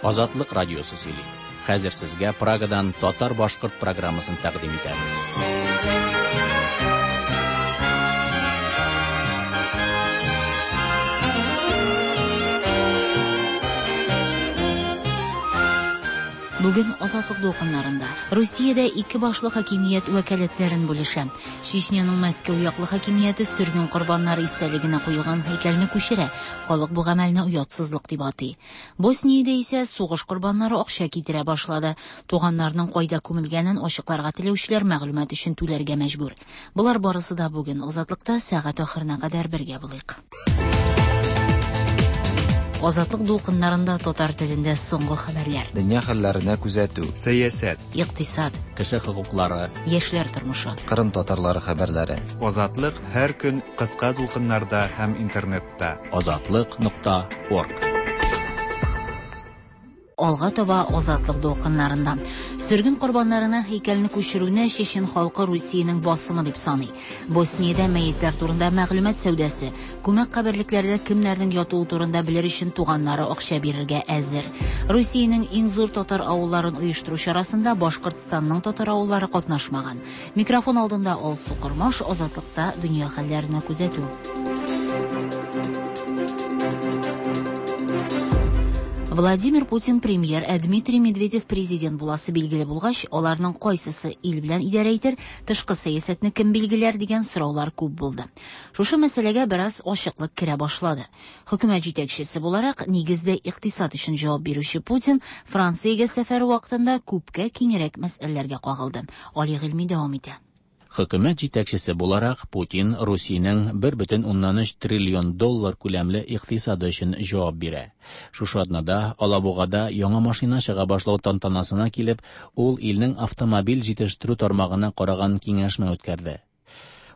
Азатлык радиосы сөйли. Хәзер сезгә Прагадан татар-башкорт программасын тәкъдим итәбез. Бүген Азатлык дулкыннарында Русиядә ике башлы хакимият вәкаләтләрен бүлешә. Чечняның Мәскәү яклы хакимияте сөрген корбаннары истәлегенә куелган һәйкәлне күчерә. Халык бу гамәлне оятсызлык дип атый. Босниядә исә сугыш корбаннары акча китерә башлады. Туганнарының кайда күмелгәнен ачыкларга теләүчеләр мәгълүмат өчен түләргә мәҗбүр. Болар барысы да бүген Азатлыкта сәгать ахырына кадәр бергә булыйк. Азатлык дулкыннарында татар телендә соңгы хәбәрләр. Дөнья хәлләренә күзәтү. Сәясәт. Икътисад. Кеше хокуклары. Яшьләр тормышы. Кырым татарлары хәбәрләре. Азатлык һәр көн кыска дулкыннарда һәм интернетта. Азатлык.орг. Алга таба Азатлык дулкыннарында. Сөрген корбаннарына һәйкәлне күчерүне чечен халкы Русиянең басымы дип саный. Босниядә мәетләр турында мәгълүмат сәүдәсе, күмәк каберлекләрдә кемнәрнең ятуы турында белер өчен туганнары акча бирергә әзер. Русиянең иң зур татар авылларын оештыру чарасында Башкортстанның татар авыллары катнашмаган. Микрофон алдында Алсу Кормаш, Азатлыкта дөнья хәлләренә күзәтү. Владимир Путин премьер, ә Дмитрий Медведев президент буласы билгеле булгач, аларның кайсысы ил белән идарә итер, тышкы сәясәтне кем билгеләр дигән сораулар күп булды. Шушы мәсьәләгә бераз ачыклык керә башлады. Хөкүмәт җитәкчесе буларак, нигездә икътисад өчен җавап бирүче Путин Франциягә сәфәре вакытында күпкә киңрәк мәсьәләләргә кагылды. Али Гыйльми дәвам итә. Хөкүмәт җитәкчесе буларак Путин Русиянең 1,3 триллион доллар күләмле икътисады өчен җавап бирә. Шушы атнада Алабугада яңа машина чыга башлау тантанасына килеп, ул илнең автомобиль җитештерү тармагына караган киңәшмә үткәрде.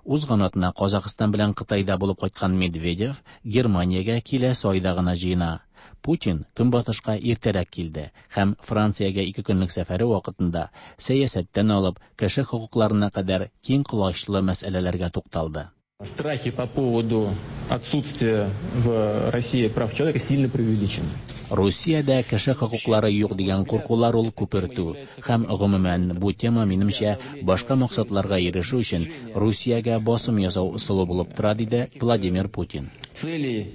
Узган атна Казахстан белән Кытайда булып кайткан Медведев Германиягә киләсе айда гына җыена. Путин Көнбатышка иртәрәк килде һәм Франциягә ике көнлек сәфәре вакытында сәясәттән алып кеше хокукларына кадәр киң колачлы мәсьәләләргә тукталды. Страхи по поводу отсутствия в России прав человека сильно преувеличены. Русиядә кеше хокуклары юк дигән куркулар ул күпертү һәм гомумән бу тема минемчә башка максатларга ирешү өчен Русиягә басым ясау ысулы булып тора, диде Владимир Путин. Целей,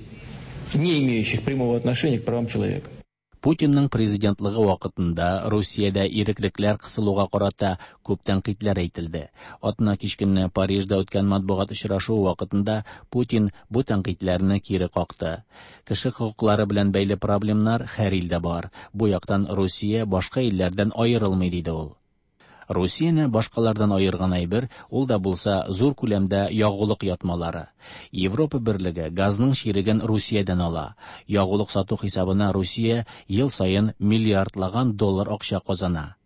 не имеющих прямого отношения к правам человека. Путинның президентлыгы вакытында Русиядә иреклекләр кысылуга карата күп тәнкыйтьләр әйтелде. Атна кич көнне Парижда үткән матбугат очрашуы вакытында Путин бу тәнкыйтьләрне кире какты. Кеше хокуклары белән бәйле проблемнар һәр илдә бар. Бу яктан Русия башка илләрдән аерылмый, диде ул. Русияне башкалардан аерган әйбер, ул да булса зур күләмдә ягулык ятмалары. Европа берлеге газның чиреген Русиядән ала. Ягулык сату хисабына Русия ел саен миллиардлаган доллар акча казана.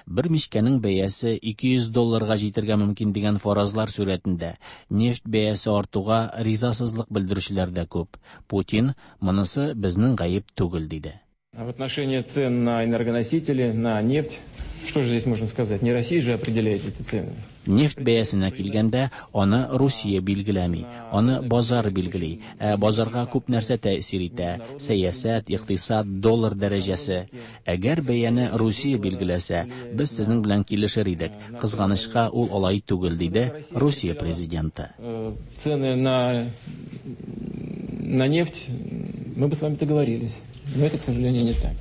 Бер мичкәнең бәясе 200 долларга җитәргә мөмкин дигән фаразлар сурәтендә нефть бәясе артуга ризасызлык белдерүчеләр дә күп. Путин монысы безнең гаеп түгел диде. А в отношении цен на энергоносители, на нефть, что же здесь можно сказать? Не Россия же определяет эти цены. Нефть бәясенә килгәндә, аны Русия билгеләми, аны базар билгели. Ә базарга күп нәрсә тәэсир итә: сәясәт, икътисад, доллар дәрәҗәсе. Әгәр бәяне Русия билгеләсә, без сезнең белән килешер идек. Кызганычка, ул алай түгел, диде Русия президенты. Цены на нефть, мы бы с вами договорились. Но это, к сожалению, не так.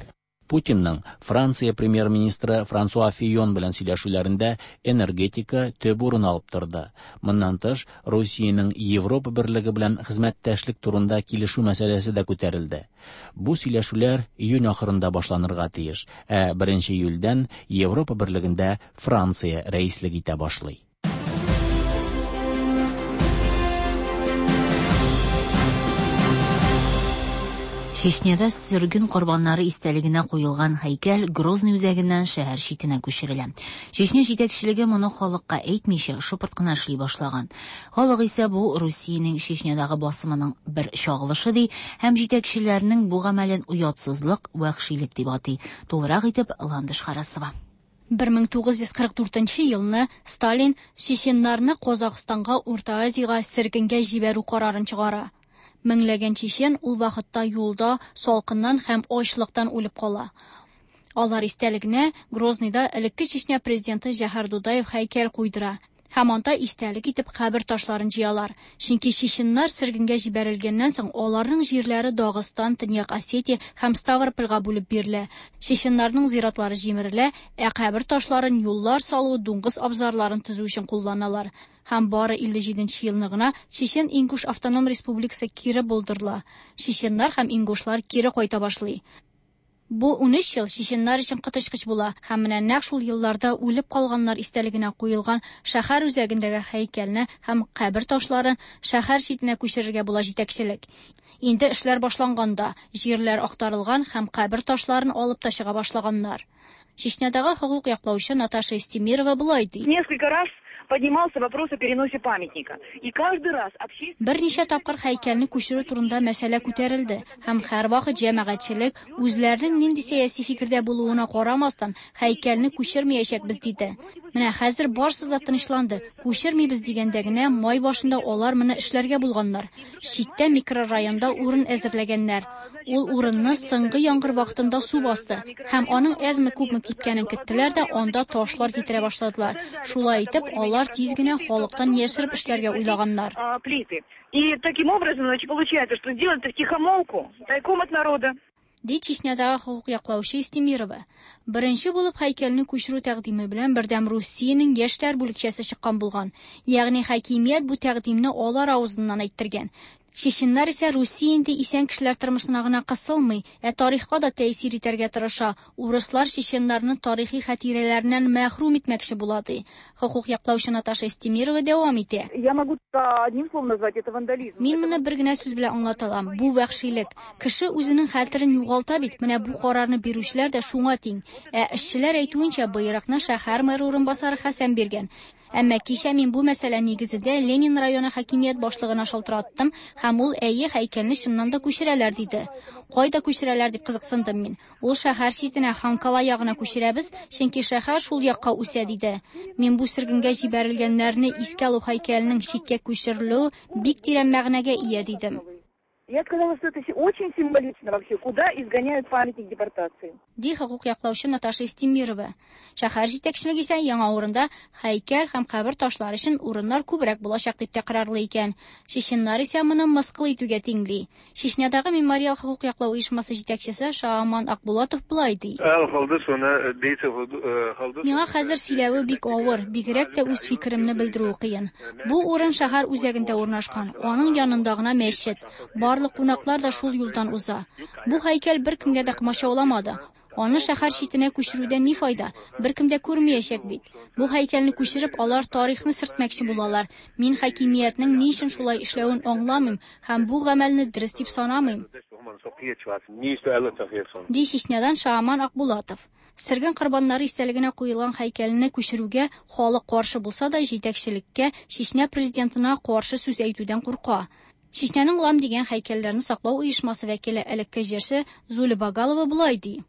Путинның Франция премьер-министры Франсуа Фийон белән сөйләшүләрендә энергетика төп урын алып торды. Моннан тыш, Русиянең Европа берлеге белән хезмәттәшлек турында килешү мәсьәләсе дә күтәрелде. Бу сөйләшүләр июнь ахырында башланырга тиеш, ә 1 июльдән Европа берлегендә Франция рәислек итә башлый. Чечняда сөрген корбаннары истәлегенә куелган һәйкәл Грозный үзәгеннән шәһәр читенә күчерелә. Чечня җитәкчелеге моны халыкка әйтмичә, шыпырт кына эшли башлаган. Халык исә бу Русиянең Чечнядагы басымының бер чагылышы ди һәм җитәкчеләрнең бу гамәлен оятсызлык, вәхшилек дип атый. Тулырак итеп Ландыш Харасова. 1944 елны Сталин чеченнарны Казахстанга, Урта Азиягә сөргенгә җибәрү карарын чыгара. Меңләгән чечен ул вакытта юлда салкыннан һәм ачлыктан үлеп кала. Алар истәлегенә Грозныйда элекке Чечня президенты Җәһәр Дудаев һәйкәл куйдыра. Һәм анда истәлек итеп кабер ташларын җыялар. Чөнки чеченнар сөргенгә җибәрелгәннән соң аларның җирләре Дагыстан, Төньяк Осетия һәм Ставропольгә бүлеп бирелә. Чеченнарның зиратлары җимерелә, ә кабер ташларын юллар салу, дуңгыз абзарларын төзү өчен кулланалар. Һәм бары 57 нче елны гына Чечен-Ингуш автоном республикасы кире булдырыла. Чеченнар һәм ингушлар кире кайта башлый. Бу 13 ел чеченнар өчен коточкыч була һәм менә нәкъ шул елларда үлеп калганнар истәлегенә куелган шәһәр үзәгендәге һәйкәлне һәм кабер ташларын шәһәр читенә күчерергә була җитәкчелек. Инде эшләр башланган да, җирләр актарылган һәм кабер ташларын алып та чыга башлаганнар. Чечнядагы хокук яклаучы Наташа Истемирова болай ди. Несколько раз поднимался вопрос о переносе памятника. И каждый раз общественность... Берничә тапкыр һәйкәлне күчерү турында мәсьәлә күтәрелде һәм һәрвакыт җәмәгатьчелек үзләренең нинди сәяси фикердә булуына карамастан, һәйкәлне күчермәячәкбез диде. Менә хәзер барысы да тынычланды. Күчермибез дигәндә генә май башында алар моны эшләргә булганнар. Читтә микрорайонда урын әзерләгәннәр. Ул урынны соңгы яңгыр вакытында су басты һәм аның әзме-күпме кипкәнен көттеләр дә анда ташлар китерә башладылар. Шулай итеп, алар тиз генә халыктан яшереп эшләргә уйлаганнар. Плиты. И таким образом, значит, получается, что сделать это втихомолку, тайком от народа. Ди Чечнядагы хокук яклаучы Истемирова. Беренче булып һәйкәлне күчерү тәкъдиме белән Бердәм Русиянең яшьләр бүлекчәсе чыккан булган. Ягъни хакимият бу тәкъдимне алар авызыннан әйттергән. Чеченнар исә Русия инде исән кешеләр тормышына гына кысылмый, ә тарихка да тәэсир итәргә тырыша. Урыслар чеченнарны тарихи хатирәләреннән мәхрүм итмәкче була ди. Хокук яклаучы Наташа Истемирова дәвам итә. Я могу одним словом назвать это вандализм. Мин моны бер генә сүз белән аңлата алам. Бу вәхшилек. Кеше үзенең хәтерен югалта бит. Менә бу карарны бирүчеләр дә шуңа тиң. Ә эшчеләр әйтүенчә, боерыкны шәһәр мэры урынбасары Хәсән биргән. Әмма кичә мин бу мәсьәлә нигезендә Ленин районы хакимият башлыгына шалтыраттым һәм ул әйе һәйкәлне чыннан да күчерәләр диде. Кайда күчерәләр дип кызыксындым мин. Ул шәһәр читенә Ханкала ягына күчерәбез, чөнки шәһәр шул якка үсә диде. Мин бу сөргенгә җибәрелгәннәрне искә алу һәйкәленең читкә күчерелүе бик тирән мәгънәгә ия дидем. Я сказала, что это очень символично вообще, куда изгоняют памятник депортации. Ди хокук яклаучы Наташа Истемирова. Шәһәр җитәкчелеге исә яңа урында һәйкәл һәм кабер ташлары өчен урыннар күбрәк булачак дип тәкрарлый икән. Чеченнар исә моны мыскыл итүгә тиңли. Чечнядагы мемориал хокук яклау оешмасы җитәкчесе Шааман Акбулатов болай ди. Миңа хәзер сөйләве бик авыр, бигрәк тә үз фикеремне белдерүе кыен. Бу урын шәһәр үзәгендә урнашкан, аның янында гына мәчет. Барлык кунаклар да шул юлдан уза. Бу һәйкәл беркемгә дә комачауламады. Аны шәһәр читенә күчерүдән ни файда? Беркем дә күрмәячәк бит. Бу һәйкәлне күчереп, алар тарихны сөртмәкче булалар. Мин хакимиятнең ни өчен шулай эшләвен аңламыйм һәм бу гамәлне дөрес дип санамыйм. Ди Чечнядан Шааман Акбулатов. Сөрген корбаннары истәлегенә куелган һәйкәлне күчерүгә халык каршы булса да, җитәкчелеккә Чечня президентына каршы сүз әйтүдән курка. Чечняның Лам дигән һәйкәлләрне саклау оешмасы вәкиле элекке җырчы Зуля Багалова болай ди.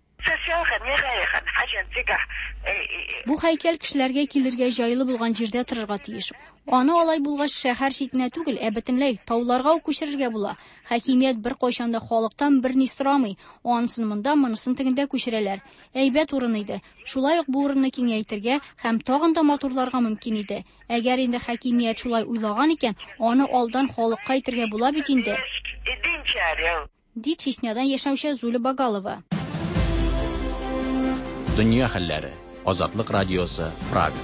Бу һәйкәл кешеләргә килергә җайлы булган җирдә торырга тиеш. Аны алай булгач шәһәр читенә түгел, ә бөтенләй тауларга ук күчерергә була. Хакимият бер кайчан да халыктан берни сорамый. Анысын монда, монысын тегендә күчерәләр. Әйбәт урын иде. Шулай ук бу урынны киңәйтергә һәм тагын да матурларга мөмкин иде. Әгәр инде хакимият шулай уйлаган икән, аны алдан халыкка әйтергә була бит инде. Ди Чечнядан яшәүче Зуля Багалова. Дөнья хәлләре. Азатлык радиосы, Прага.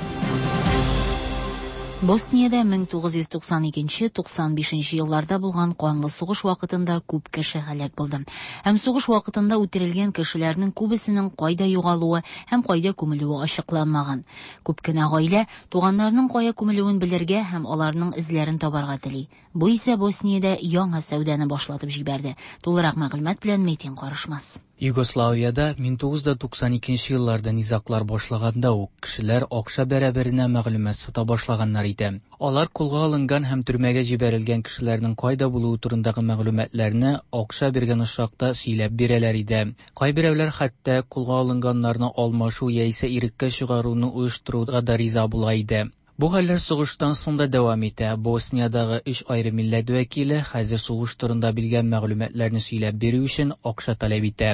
Босниядә 1992-95 елларда булган канлы сугыш вакытында күп кеше һәлак булды. Һәм сугыш вакытында үтерелгән кешеләрнең күбесенең кайда югалуы һәм кайда күмелүе ачыкланмаган. Күп кенә гаилә туганнарының кая күмелүен белергә һәм аларның эзләрен табарга тели. Бу исә Босниядә яңа сәүдәне башлатып җибәрде. Тулырак мәгълүмат белән Метин Карышмас. Югославиядә 1992 елларда низаглар башлаганда ук кешеләр акча бәрабәренә мәгълүмат сата башлаганнар иде. Алар кулга алынган һәм төрмәгә җибәрелгән кешеләрнең кайда булуы турындагы мәгълүматларны акча биргән очракта сөйләп бирәләр иде. Кайберәүләр хәтта кулга алынганнарны алмашу яисә иреккә чыгаруны оештыруга да риза була иде. Бу хәлләр сугыштан соң да дәвам итә. Босниядагы өч аерым милләт вәкиле хәзер сугыш турында белгән мәгълүматларны сөйләп бирү өчен акча таләп итә.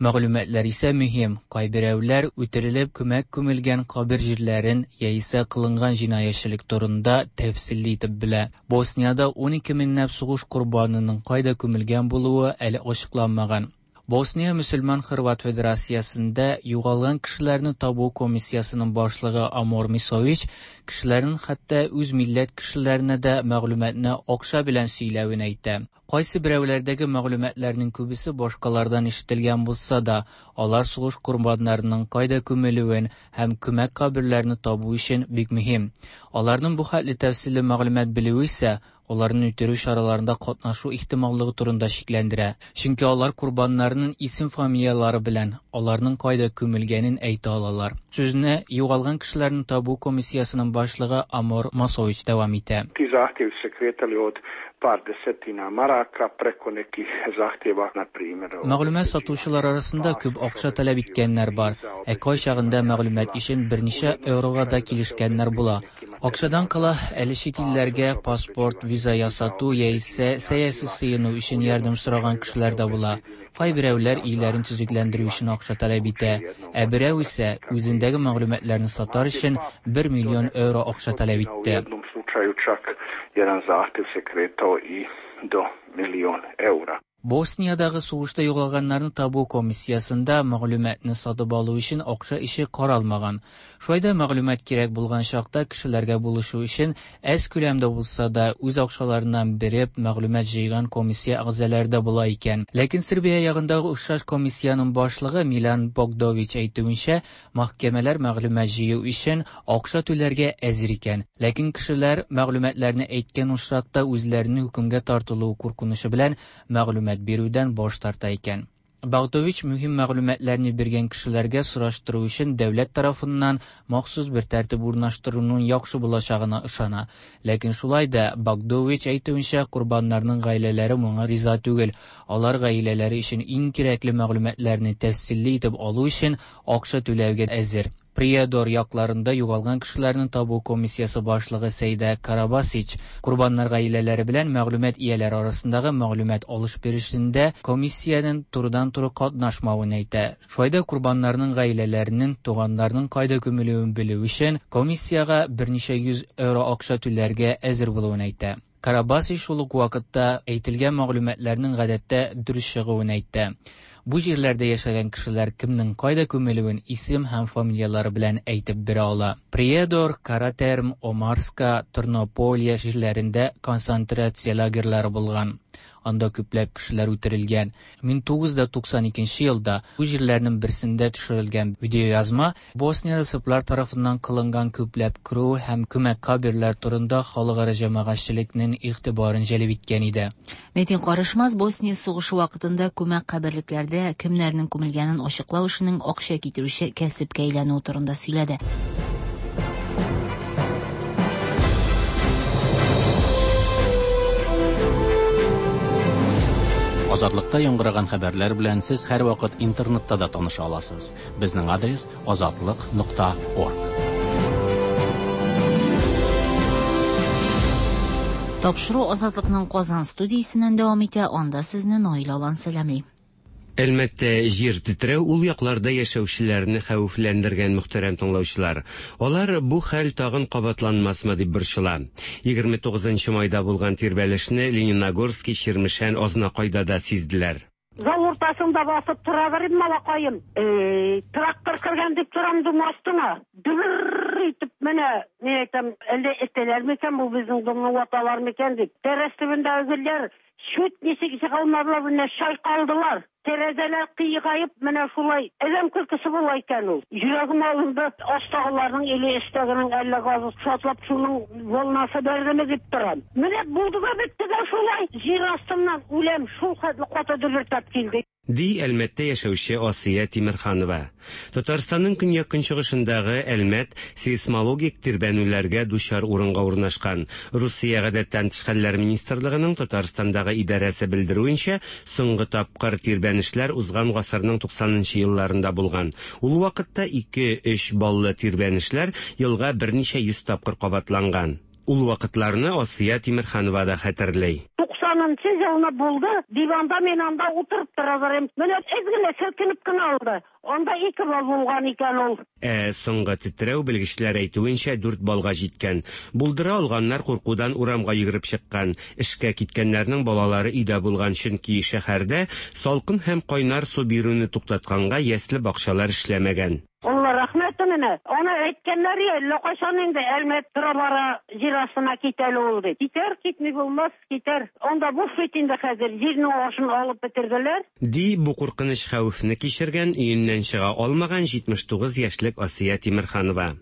Мәгълүматлар исә мөһим. Кайберәүләр үтерелеп күмәк күмелгән кабер җирләрен яисә кылынган җинаятьчелек турында тәфсилле итеп белә. Босниядә 12 меңләп сугыш корбанының кайда күмелгән булуы әле ачыкланмаган. Босния мөселман-хорват федерациясендә югалган кешеләрне табу комиссиясенең башлыгы Амор Мисович кешеләрнең хәтта үз милләт кешеләренә дә мәгълүматны акча белән сөйләвен әйтә. Кайсы берәүләрдәге мәгълүматларның күбесе башкалардан ишетелгән булса да, алар сугыш корбаннарының кайда күмелүен һәм күмәк каберләрне табу өчен бик мөһим. Аларның бу хәтле тәфсилле мәгълүмат белүе исә аларны үтерү чараларында катнашу ихтималлыгы турында шикләндерә. Чөнки алар корбаннарның исем-фамилияләре белән аларның кайда күмелгәнен әйтә алалар. Сүзне югалган кешеләрне табу комиссиясенең башлыгы Амор Масович дәвам итә. Ti zahtjevi su se kretali od par desetina maraka preko nekih zahtjeva, na primjer... Мәгълүмат сатучылар арасында күп акча таләп иткәннәр бар, ә кайчагында мәгълүмат өчен берничә еврога да килешкәннәр була. Акчадан кала әле чит илләргә паспорт, виза ясату яисә сәяси сыену өчен ярдәм сораган кешеләр дә була. Кайберәүләр өйләрен төзекләндерү өчен акча таләп итә, ә берәү исә үзендәге мәгълүматларны сатар өчен 1 миллион евро акча таләп U итте. jednom slučaju čak jedan zahtjev se kretao i do milion eura. Босниядагы сугышта югалганнарны табу комиссиясендә мәгълүматны сатып алу өчен акча ише каралмаган. Шулай да мәгълүмат кирәк булган чакта кешеләргә булышу өчен әз күләмдә булса да үз акчаларыннан биреп мәгълүмат җыйган комиссия әгъзалары да була икән. Ләкин Сербия ягындагы охшаш комиссиянең башлыгы Милан Богдович әйтүенчә, мәхкәмәләр мәгълүмат җыю өчен акча түләргә әзер икән. Ләкин кешеләр мәгълүматларны әйткән очракта үзләренең хөкемгә тартылуы куркынычы белән мәгълүмат бирүдән баш тарта икән. Богдович мөһим мәгълүматларны биргән кешеләргә сораштыру өчен дәүләт тарафыннан махсус бер тәртип урнаштыруның яхшы булачагына ышана. Ләкин шулай да Богдович әйтүенчә, корбаннарның гаиләләре моңа риза түгел. Алар гаиләләре өчен иң кирәкле мәгълүматларны тәфсилле итеп алу өчен акча түләүгә әзер. Приедор якларында югалган кешеләрне табу комиссиясе башлыгы Сәйдә Карабасич корбаннар гаиләләре белән мәгълүмат ияләре арасындагы мәгълүмат алыш-бирешендә комиссиянең турыдан-туры катнашмавын әйтә. Шулай да корбаннарның гаиләләренең туганнарының кайда күмелүен белү өчен комиссиягә берничә йөз евро акча түләргә әзер булуын әйтә. Карабасич шул ук вакытта әйтелгән мәгълүматларның гадәттә дөрес чыгуын әйтте. Бу җирләрдә яшәгән кешеләр кемнең кайда күмелүен исем һәм фамилияләре белән әйтеп бирә ала. Приедор, Каратерм, Омарска, Тернополия җирләрендә концентрация лагерьлары булган. Анда күпләп кешеләр үтерелгән. 1992 елда бу җирләрнең берсендә төшерелгән видеоязма Босниядә сырблар тарафыннан кылынган күпләп кыру һәм күмәк каберләр турында халыкара җәмәгатьчелекнең игътибарын җәлеп иткән иде. Метин Карышмас Босния сугышы вакытында күмәк каберлекләрдә кемнәрнең күмелгәнен ачыклау эшенең акча китерүче кәсепкә әйләнүе турында сөйләде. Азатлыкта яңгыраган хәбәрләр белән сез һәрвакыт интернетта да таныша аласыз. Безнең адрес azatliq.org. Тапшыру Азатлыкның Казан студиясеннән дәвам итә. Анда сезне Наил Алан сәламли. Әлмәттә җир тетрәү ул якларда яшәүчеләрне хәвефләндергән мөхтәрәм тыңлаучылар. Алар бу хәл тагын кабатланмасмы дип борчыла. 29 майда булган тирбәлешне Лениногорский, Чирмешән, Азнакайда да сизделәр. Зал уртасында басып тора берим малакаем. Трактор кергән дип торам дум астына. Дөбер итеп менә, ни әйтәм, әллә этәләр микән бу безнең домны ваталар микән дип. Тәрәз төбендәге гөлләр чүт ничек чыгалмадылар, менә чайкалдылар. Тәрәзәләр кыйгаеп, менә шулай адәм көлкесе була икән ул. Йөрәгем алынды, астагыларның или өстәгенең әллә газы шартлап шуның волнасы бәрдеме дип торам. Менә булды да бетте дә шулай. Җир астыннан үләм, шул хәтле каты дөбердәп килде. Ди Әлмәттә яшәүче Асия Тимерханова. Татарстанның көньяк-көнчыгышындагы Әлмәт сейсмологик тирбәнүләргә дучар урынга урнашкан. Русия Гадәттән тыш хәлләр министрлыгының Татарстандагы идарәсе белдерүенчә, соңгы тапкыр тирбәнешләр узган гасырның 90 нчы елларында булган. Ул вакытта ике-өч баллы тирбәнешләр елга берничә йөз тапкыр кабатланган. Ул вакытларны Асия Тимерханова да хәтерли. Туксанынчы елны булды, диванда мин анда утырып тора берем. Менә әз генә селкенеп кенә алды. Анда ике балл булган икән ул. Ә соңгы тетрәү, белгечләр әйтүенчә, дүрт баллга җиткән. Булдыра алганнар куркудан урамга йөгереп чыккан. Эшкә киткәннәрнең балалары өйдә булган, чөнки шәһәрдә салкын һәм кайнар су бирүне туктатканга ясле бакчалар эшләмәгән. Алла рәхмәте менә. Аны әйткәннәр я, әллә кайчан инде Әлмәт тора-бара җир астына китә әле ул дип. Китәр, китми булмас, китәр. Анда буш бит инде хәзер, җирнең ашын алып бетерделәр. Ди бу куркыныч хәвефне кичергән, өеннән чыга алмаган 79 яшьлек Асия Тимерханова.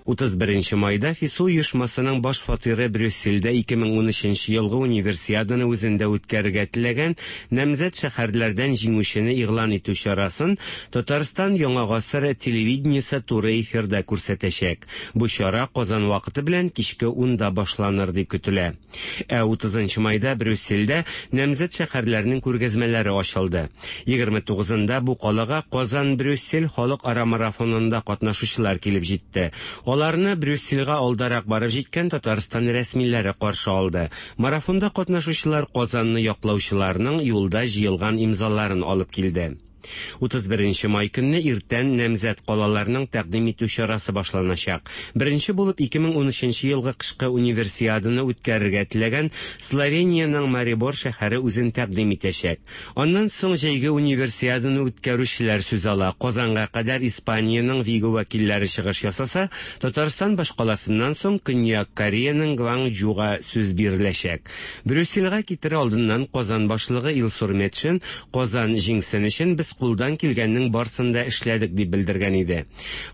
31 майда ФИСУ оешмасының баш фатиры Брюссельдә 2013 елгы Универсиаданы үзендә үткәрергә теләгән намзәт шәһәрләрдән җиңүчене игълан итү чарасын Татарстан Яңа гасыр телевидениесе туры эфирда күрсәтәчәк. Бу чара Казан вакыты белән кичке унда башланыр дип көтелә. Ә 30 майда Брюссельдә намзәт шәһәрләрнең күргәзмәләре ачылды. 29-ында бу калага Казан-Брюссель халыкара марафонында катнашучылар килеп җитте. Аларны Брюссельгә алдарак барып җиткән Татарстан рәсмиләре каршы алды. Марафонда катнашучылар Казанны яклаучыларның юлда җыелган имзаларын алып килде. 31 май көнне иртән намзәт калаларның тәкъдим итү чарасы башланачак. Беренче булып 2013 елгы кышкы Универсиаданы үткәрергә теләгән Словениянең Марибор шәһәре үзен тәкъдим итәчәк. Аннан соң җәйге Универсиаданы үткәрүчеләр сүз ала. Казанга кадәр Испаниянең Виго вәкилләре чыгыш ясаса, Татарстан башкаласыннан соң Көньяк Кореяның Гванчжуга сүз биреләчәк. Брюссельгә китер алдыннан Казан башлыгы Илсур Метшин Казан җиңсен өчен без кулдан килгәннең барсын да эшләдек дип белдергән иде.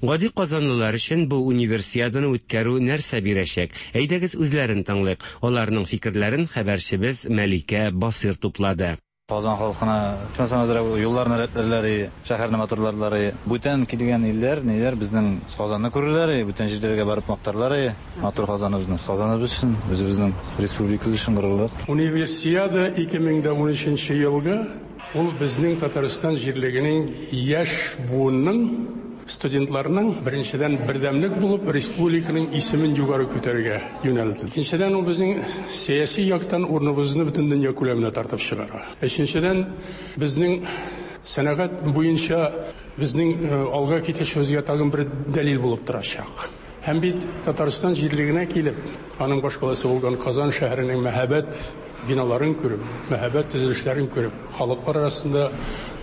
Гади казанлылар өчен бу Универсиаданы үткәрү нәрсә бирәчәк? Әйдәгез үзләрен тыңлыйк. Аларның фикерләрен хәбәрчебез Мәликә Басыйр туплады. Казан халкына ичмасам әзрәк юлларны рәтләрләр, шәһәрне матурларлар. Бүтән килгән илләр, ниләр безнең Казанны күрерләр, бүтән җирләргә барып мактарлар. Матур Казаныбызны. Казаныбыз өчен, үзебезнең республикабыз өчен горурлык. Универсиада 2013 елгы ул безнең Татарстан җирлегенең яшь буынның, студентларның, беренчедән, бердәмлек булып, республиканың исемен югары күтәрергә юнәлде. Икенчедән, ул безнең сәяси яктан урыныбызны бөтен дөнья күләменә тартып чыгара. Өченчедән, безнең сәнәгать буенча безнең алга китешебезгә тагын бер дәлил булып торачак. Һәм бит Татарстан җирлегенә килеп, аның башкаласы булган Казан шәһәренең мәһабәт биналарын күреп, мәһабәт төзелешләрен күреп, халыклар арасында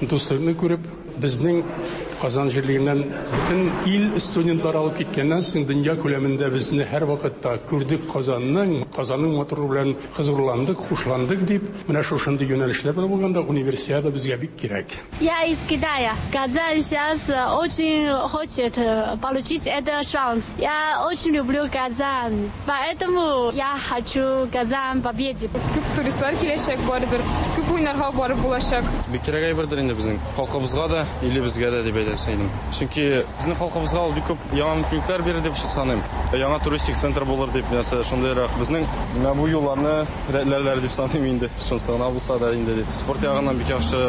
дуслыкны күреп, безнең Казан җирлегеннән бөтен ил студентлары алып киткәннән соң дөнья күләмендә безне һәрвакытта күрдек Казанның, Казанның матурлыгы белән хозурландык, хушландык дип, менә шушындый юнәлешләр белән булганда Универсиада безгә бик кирәк. Я из Китая. Казань сейчас очень хочет получить этот шанс. Я очень люблю Казань, поэтому я хочу Казань победить. Күп туристлар киләчәк барыбер, күп уйнарга барып булачак. Бик кирәк әйбердер инде безнең халкыбызга да, илебезгә дә дип әйтәсе идем. Чөнки безнең халкыбызга ул бик күп яңа мөмкинлекләр бирер дип саныйм. Яңа туристик центр булыр дип, нәрсә шундыйрак. Безнең менә бу юлларны рәтләрләр дип саныйм инде. Шунысы гына булса да инде дип. Спорт ягыннан бик яхшы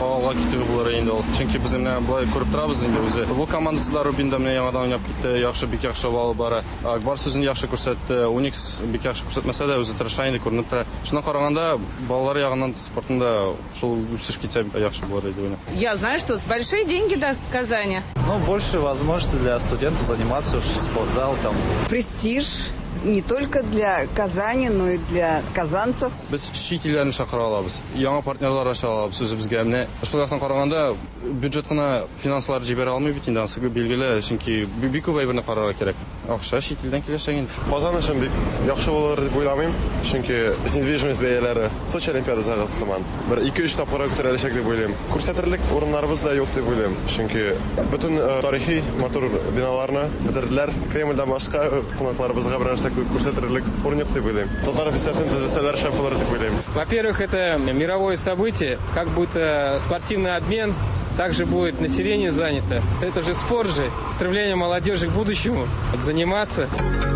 алга китү булыр инде ул. Чөнки без менә болай күреп торабыз инде үзе. Футбол командасы да Рубин да менә яңадан уйнап китте. Яхшы, бик яхшы алып бара. Акбар сүзен яхшы күрсәтте. Уникс бик яхшы күрсәтмәсә дә, үзе тырыша инде, күренеп тора. Шуннан караганда, балалар ягыннан спортында шул үсеш китсә яхшы булыр иде уйнап. Я знаю, что большие деньги даст Казани. Больше возможности для студентов заниматься уж спортзал там. Престиж не только для Казани, но и для казанцев. Без чит илләрне чакыра алабыз, яңа партнерлар ача алабыз үзебезгә. Менә шул яктан караганда бюджет кына финанслар җибәрә алмый бит инде, анысы билгеле, чөнки бик күп әйберне карарга кирәк. Акча чит илдән киләчәк инде. Казан өчен бик яхшы булыр дип уйламыйм, чөнки недвижимость бәяләре Сочи Олимпиадасыгы сыман бер 2-3 тапкырга күтәреләчәк дип уйлыйм. Күрсәтерлек урыннарыбыз да юк дип уйлыйм, чөнки бөтен тарихи матур биналарны бетерделәр. Кремльдән башка кунакларыбызга бер нәрсә күрсәтерлек урын юк дип уйлыйм. Татар бистәсен төзесәләр шәп булыр дип уйлыйм. Во-первых, это мировое событие, как будто спортивный обмен, также будет население занято. Это же спорт же, стремление молодежи к будущему, заниматься.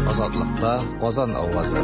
Азатлыкта Казан авазы.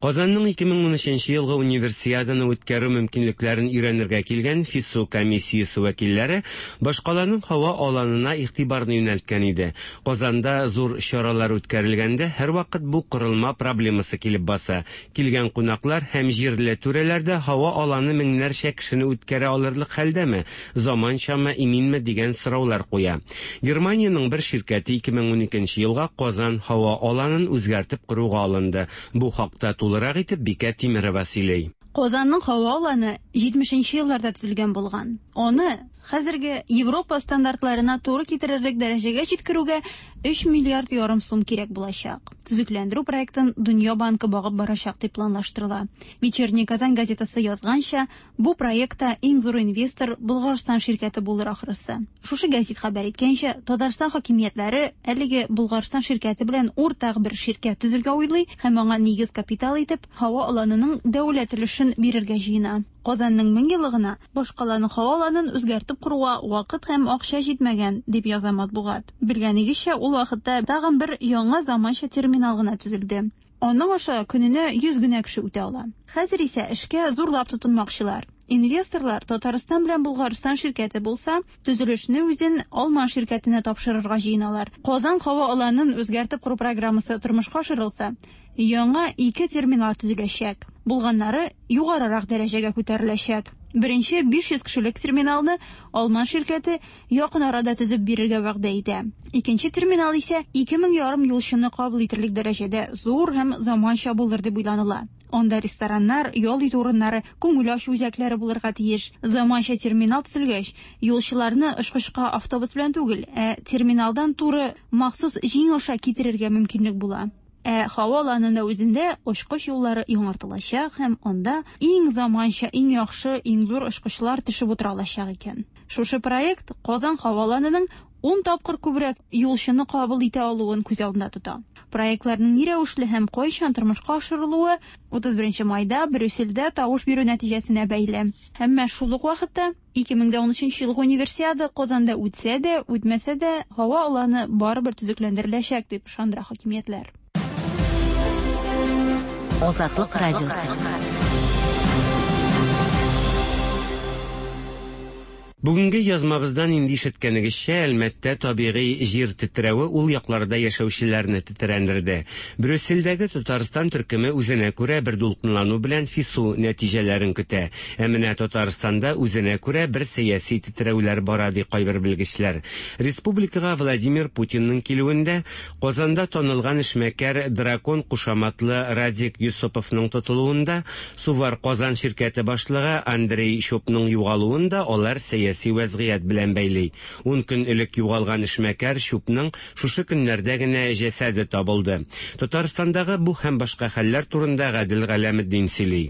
Казанның 2013 елгы Универсиаданы үткәрү мөмкинлекләрен өйрәнергә килгән ФИСУ комиссиясе вәкилләре башкаланың һава аланына игътибарны юнәлткән иде. Казанда зур чаралар үткәрелгәндә һәрвакыт бу корылма проблемасы килеп баса. Килгән кунаклар һәм җирле түрәләр дә һава аланы меңнәрчә кешене үткәрә алырлык хәлдәме, заманчамы, иминме дигән сораулар куя. Германиянең бер ширкәте 2012 елга Казан һава аланын үзгәртеп коруга алынды. Бу хакта тулырак итеп Бикә Тимерова сөйли. Казанның һава аланы 70 нче елларда төзелгән булган. Аны хәзерге Европа стандартларына туры китерерлек дәрәҗәгә җиткерүгә 3 миллиард ярым сум кирәк булачак. Төзекләндерү проектын Дөнья банкы багып барачак дип планлаштырыла. Вечерняя Казань газетасы язганча, бу проектта иң зур инвестор Болгарстан ширкәте булыр ахрысы. Шушы гәзит хәбәр иткәнчә, Татарстан хакимиятләре әлеге Болгарстан ширкәте белән уртак бер ширкәт төзергә уйлый һәм аңа нигез капитал итеп һава аланының дәүләт өлешен бирергә җыена. Казанның меңьеллыгына башкаланың һава аланын үзгәртеп коруга вакыт һәм акча җитмәгән, дип яза матбугат. Белгәнегезчә, ул вакытта тагын бер яңа заманча терминал гына төзелде. Аның аша көненә 100 генә кеше үтә ала. Хәзер исә эшкә зурлап тотынмакчылар. Инвесторлар Татарстан белән Болгарстан ширкәте булса, төзелешне үзен алман ширкәтенә тапшырырга җыеналар. Казан һава аланын үзгәртеп кору программасы тормышка ашырылса, яңа ике терминал төзеләчәк. Булганнары югарырак дәрәҗәгә күтәреләчәк. Беренче 500 кешелек терминалны алман ширкәте якын арада төзеп бирергә вәгъдә итә. Икенче терминал исә 2000 ярым юлчыны кабул итерлек дәрәҗәдә зур һәм заманча булыр дип уйланыла. Анда рестораннар, ял итү урыннары, күңел ачу үзәкләре булырга тиеш. Заманча терминал төзелгәч, юлчыларны очкычка автобус белән түгел, ә терминалдан туры махсус җиң аша китерергә мөмкинлек була. Ә һава аланында үзендә очкыч юллары яңартылачак һәм анда иң заманча, иң яхшы, иң зур очкычлар төшеп утыра алачак икән. Шушы проект Казан һава аланының 10 тапкыр күбрәк юлчыны кабул итә алуын күз алдында тота. Проектларның ни рәвешле һәм кайчан тормышка ашырылуы 31 майда Брюссельдә тавыш бирү нәтиҗәсенә бәйле. Әмма шул ук вакытта 2013 елгы Универсиада Казанда үтсә дә, үтмәсә дә, һава аланы барыбер төзекләндереләчәк дип ышандыра хакимиятләр. Азатлык радиосы. Бүгенге язмабыздан инде ишеткәнегезчә, Әлмәттә табигый җир тетрәве ул якларда яшәүчеләрне тетрәндерде. Брюссельдәге Татарстан төркеме үзенә күрә бер дулкынлану белән ФИСУ нәтиҗәләрен көтә. Ә менә Татарстанда үзенә күрә бер сәяси тетрәүләр бара, ди кайбер белгечләр. Республикага Владимир Путинның килүендә Казанда танылган эшмәкәр Дракон кушаматлы Радик Йосыповның тотылуында, Сувар Казан ширкәте башлыгы Андрей Чопның югалуын да алар сәяси вәзгыять белән бәйли. Ун көн элек югалган эшмәкәр Чупның шушы көннәрдә генә җәсәде табылды. Татарстандагы бу һәм башка хәлләр турында Гадел Галәметдин сөйли.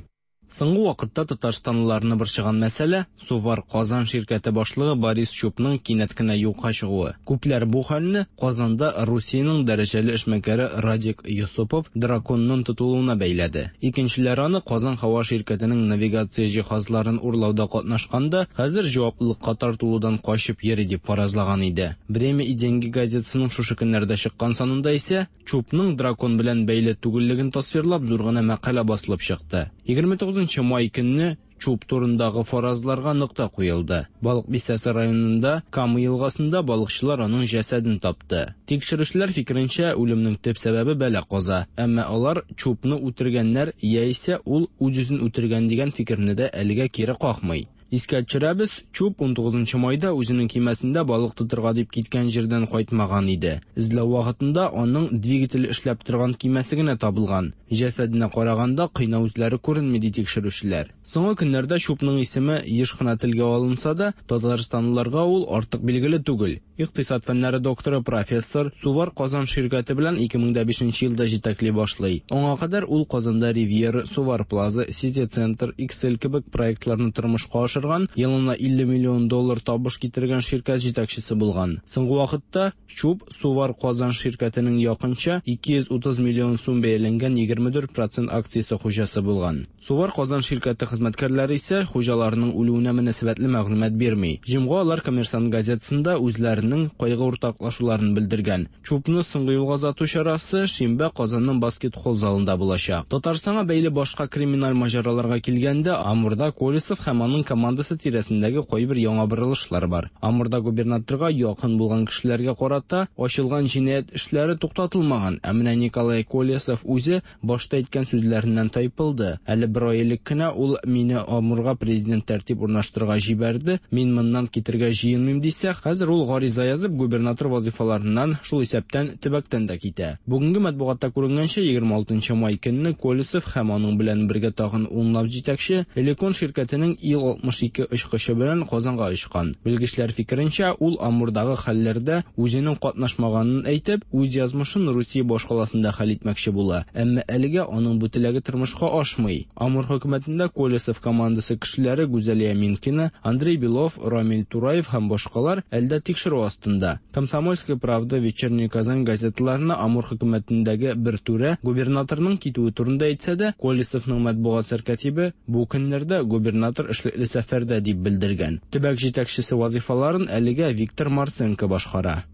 Соңгы вакытта татарстанлыларны борчыган мәсьәлә, Сувар Казан ширкәте башлыгы Борис Чупның кинәт кенә юкка чыгуы. Күпләр бу хәлне Казанда Русиянең дәрәҗәле эшмәкәре Радик Йосыпов драконның тотылуына бәйләде. Икенчеләр аны Казан һава ширкәтенең навигация җиһазларын урлауда катнашканда, хәзер җаваплылыкка тартылудан качып йөри дип фаразлаган иде. Время и деньги газетасының шушы көннәрдә чыккан санында исә Чупның дракон белән бәйле түгеллеген тасвирлап зур гына мәкалә басылып чыкты. 29 май көнне Чуп турындагы фаразларга нокта куелды. Балык бистәсе районында Кама елгасында балыкчылар аның җәсәден тапты. Тикшерүчеләр фикеренчә, үлемнең төп сәбәбе бәла-каза. Әмма алар Чупны үтергәннәр яисә ул үз-үзен үтергән дигән фикерне дә әлегә кире какмый. Искә төшерәбез, Чуб 19 майда үзенең көймәсендә балык тотырга дип киткән җирдән кайтмаган иде. Эзләү вакытында аның двигателе эшләп торган көймәсе генә табылган. Җәсәденә караганда, кыйнау эзләре күренми, ди тикшерүчеләр. Соңгы көннәрдә Чубның исеме еш кына телгә алынса да, татарстанлыларга ул артык билгеле түгел. Икътисад фәннәре докторы, профессор, Сувар Казан ширкәте белән 2005 елда җитәкли башлый. Аңа кадәр ул Казанда Ривьера, Сувар Плаза, Сити Центр, Иксел кебек проектларны тормышка ашырган, елына 50 миллион доллар табыш китергән ширкәт җитәкчесе булган. Соңгы вакытта Чуб Сувар Казан ширкәтенең якынча 230 миллион сум бәяләнгән 24 процент акциясе хуҗасы булган. Сувар Казан ширкәте хезмәткәрләре исә хуҗаларының үлүенә мөнәсәбәтле мәгълүмат бирми. Җомга алар Коммерсант газетасында үзләренең кайгы уртаклашуларын белдергән. Чупны соңгы юлга озату чарасы шимбә Казанның Баскет-холл залында булачак. Татарстанга бәйле башка криминаль маҗараларга килгәндә, Амурда Колесов һәм аның командасы тирәсендәге кайбер яңа борылышлар бар. Амурда губернаторга якын булган кешеләргә карата ачылган җинаять эшләре туктатылмаган, ә менә Николай Колесов үзе Башта әйткән сүзләреннән тайпылды. Әле бер ай элек кенә ул мине Амурга президент тәртип урнаштырырга җибәрде, мин моннан китергә җыенмыйм дисә, хәзер ул гариза язып губернатор вазыйфаларыннан, шул исәптән, төбәктән дә китә. Бүгенге матбугатта күренгәнчә, 26 нчы май көнне Колесов һәм аның белән бергә тагын унлап җитәкче Элекон ширкәтенең Ил-62 очкычы белән Казанга очкан. Белгечләр фикеренчә, ул Амурдагы хәлләрдә үзенең катнашмаганын әйтеп, үз язмышын Русия башкаласында хәл итмәкче була. Әмма әлегә аның бу теләге тормышка ашмый. Амур хөкүмәтендә Колесов командасы кешеләре Гүзәлия Минкина, Андрей Белов, Рамил Тураев һәм башкалар әле дә тикшерү астында. Комсомольская правда, Вечерняя Казань газеталарына Амур хөкүмәтендәге бер түрә губернаторның китүе турында әйтсә дә, Колесовның матбугат сәркатибе бу көннәрдә губернатор эшлекле сәфәрдә дип белдергән. Төбәк җитәкчесе вазыйфаларын әлегә Виктор Марценко башкара.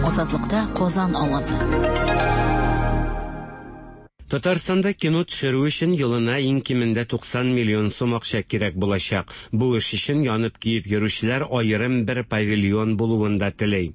Азатлыкта Казан авазы. Татарстанда кино төшерү өчен елына иң кимендә 90 миллион сум акча кирәк булачак. Бу эш өчен янып-көеп йөрүчеләр аерым бер павильон булуын да тели.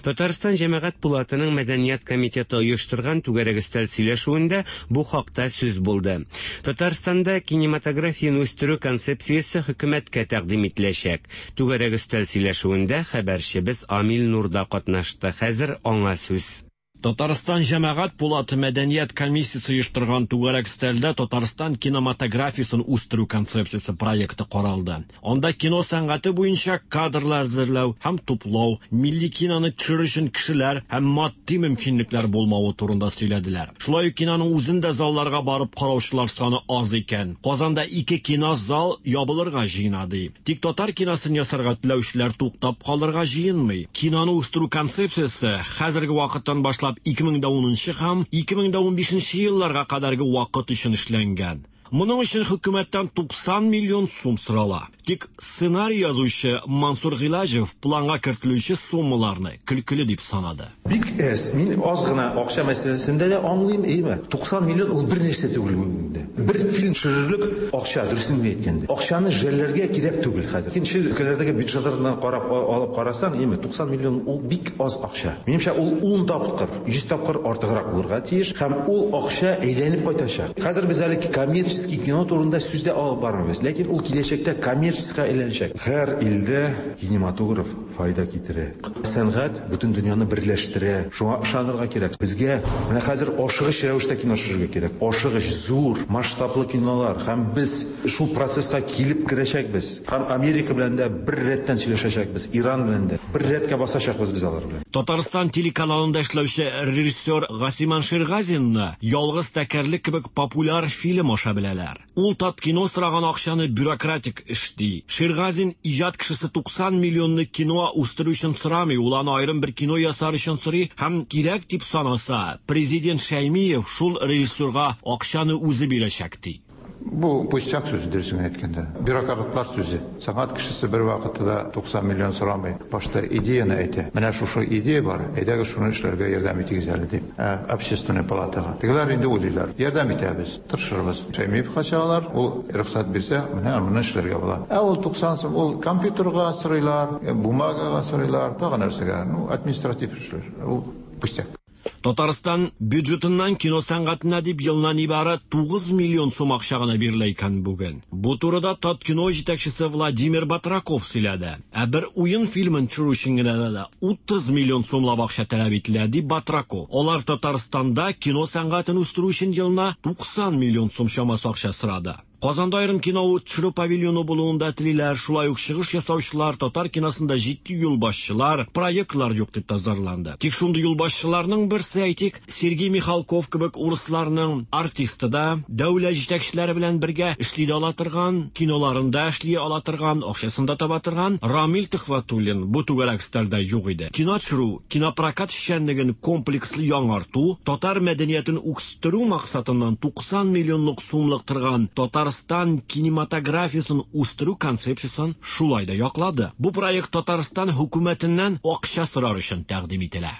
Татарстан Җәмәгать пулатының мәдәният комитеты оештырган түгәрәк өстәл сөйләшүендә бу хакта сүз булды. Татарстанда кинематографияне үстерү концепциясе хөкүмәткә тәкъдим ителәчәк. Түгәрәк өстәл сөйләшүендә хәбәрчебез Амил Нур да катнашты. Хәзер аңа сүз. Татарстан Җәмәгать пулаты мәдәният комиссиясе оештырган түгәрәк өстәлдә Татарстан кинематографиясен үстерү концепциясе проекты каралды. Анда кино сәнгате буенча кадрлар әзерләү һәм туплау, милли киноны төшерү өчен кешеләр һәм матди мөмкинлекләр булмавы турында сөйләделәр. Шулай ук киноның үзен дә залларга барып караучылар саны аз икән. Казанда ике кинозал ябылырга җыена, ди. Тик татар киносын ясарга теләүчеләр туктап калырга җыенмый. Киноны үстерү концепциясе хәзерге вакыттан башлап 2010 нчы һәм 2015 нче елларга кадәрге вакыт өчен эшләнгән. Моның өчен хөкүмәттән 90 миллион сум сорала. Тик сценарий язучы Мансур Гыйлаҗев планга кертелүче суммаларны көлкеле дип санады. Бик әз. Мин аз гына акча мәсьәләсендә дә аңлыйм, әйеме? 90 миллион ул бернәрсә түгел бүгенге көндә. Бер фильм төшерерлек акча, дөресен генә әйткәндә. Акчаны жәлләргә кирәк түгел хәзер. Икенче өлкәләрдәге бюджетлардан карап алып карасаң, әйеме, 90 миллион ул бик аз акча. Минемчә, ул ун тапкыр, 100 тапкыр артыграк булырга тиеш һәм ул акча әйләнеп кайтачак. Хәзер без әле коммерческий кино турында сүз дә алып бармыйбыз, ләкин ул киләчәктә коммерческийга әйләнәчәк. Һәр илдә кинематограф файда китерә. Сәнгать бөтен дөньяны берләштерә. Шуңа ышанырга кирәк. Безгә менә хәзер ашыгыч рәвештә кино төшерергә кирәк. Ашыгыч, зур, масштаблы кинолар. Һәм без шул процесска килеп керәчәкбез. Һәм Америка белән дә бер рәттән сөйләшәчәкбез, Иран белән дә. Бер рәткә басачакбыз без алар белән. Татарстан телеканалында эшләүче режиссер Гасиман Ширгазинны Ялгыз тәкәрлек кебек популяр фильм аша беләләр. Ул Таткино сораган акчаны бюрократик эш ди. Ширгазин иҗат кешесе 90 миллионны кино үстерү өчен сорамый, ул аны аерым бер кино ясар өчен сорый һәм кирәк дип санаса, президент Шәймиев шул режиссерга акчаны үзе бирәчәк ди. Бу пустяк сүз, дөресен генә әйткәндә. Бюрократлар сүзе. Сәнгать кешесе бервакытта да 90 миллион сорамый. Башта идеяне әйтә. Менә шушы идея бар, әйдәгез шуны эшләргә ярдәм итегез әле, дип, ә Общественный палатага. Тегеләр инде уйлыйлар. Ярдәм итәбез, тырышырбыз. Шәймиевка чыгалар, ул рөхсәт бирсә, менә моны эшләргә була. Ә ул 90 сум, ул компьютерга сорыйлар, бумагага сорыйлар, тагы нәрсәгә. Ну, административ эшләр. Ул пустяк. Татарстан бюджетыннан кино сәнгатенә дип елына нибары 9 миллион сум акча гына бирелә икән бүген. Бу турыда Таткино җитәкчесе Владимир Батраков сөйләде. Ә бер уен фильмын төшерү өчен генә дә 30 миллион сумлап акча таләп ителә, ди Батраков. Алар Татарстанда кино сәнгатен үстерү өчен елына 90 миллион сум чамасы акча сорады. Казанда аерым кино төшерү павильоны булуын да телиләр, шулай ук чыгыш ясаучылар, татар киносында җитди юлбашчылар, проектлар юк дип тә зарланды. Тик шундый юлбашчыларның берсе, әйтик, Сергей Михалков кебек урысларның артисты да, дәүләт җитәкчеләре белән бергә эшли дә ала торган, киноларында эшли ала торган, акчасын да таба торган Рамил Төхвәтуллин бу түгәрәк өстәлдә юк иде. Кино төшерү, кинопрокат эшчәнлеген комплекслы яңарту, татар мәдәниятен үстерү максатыннан 90 миллионлык сумлык торган Татарстан кинематографиясен үстерү концепциясен шулай да яклады. Бу проект Татарстан хөкүмәтеннән акча сорар өчен тәкъдим ителә.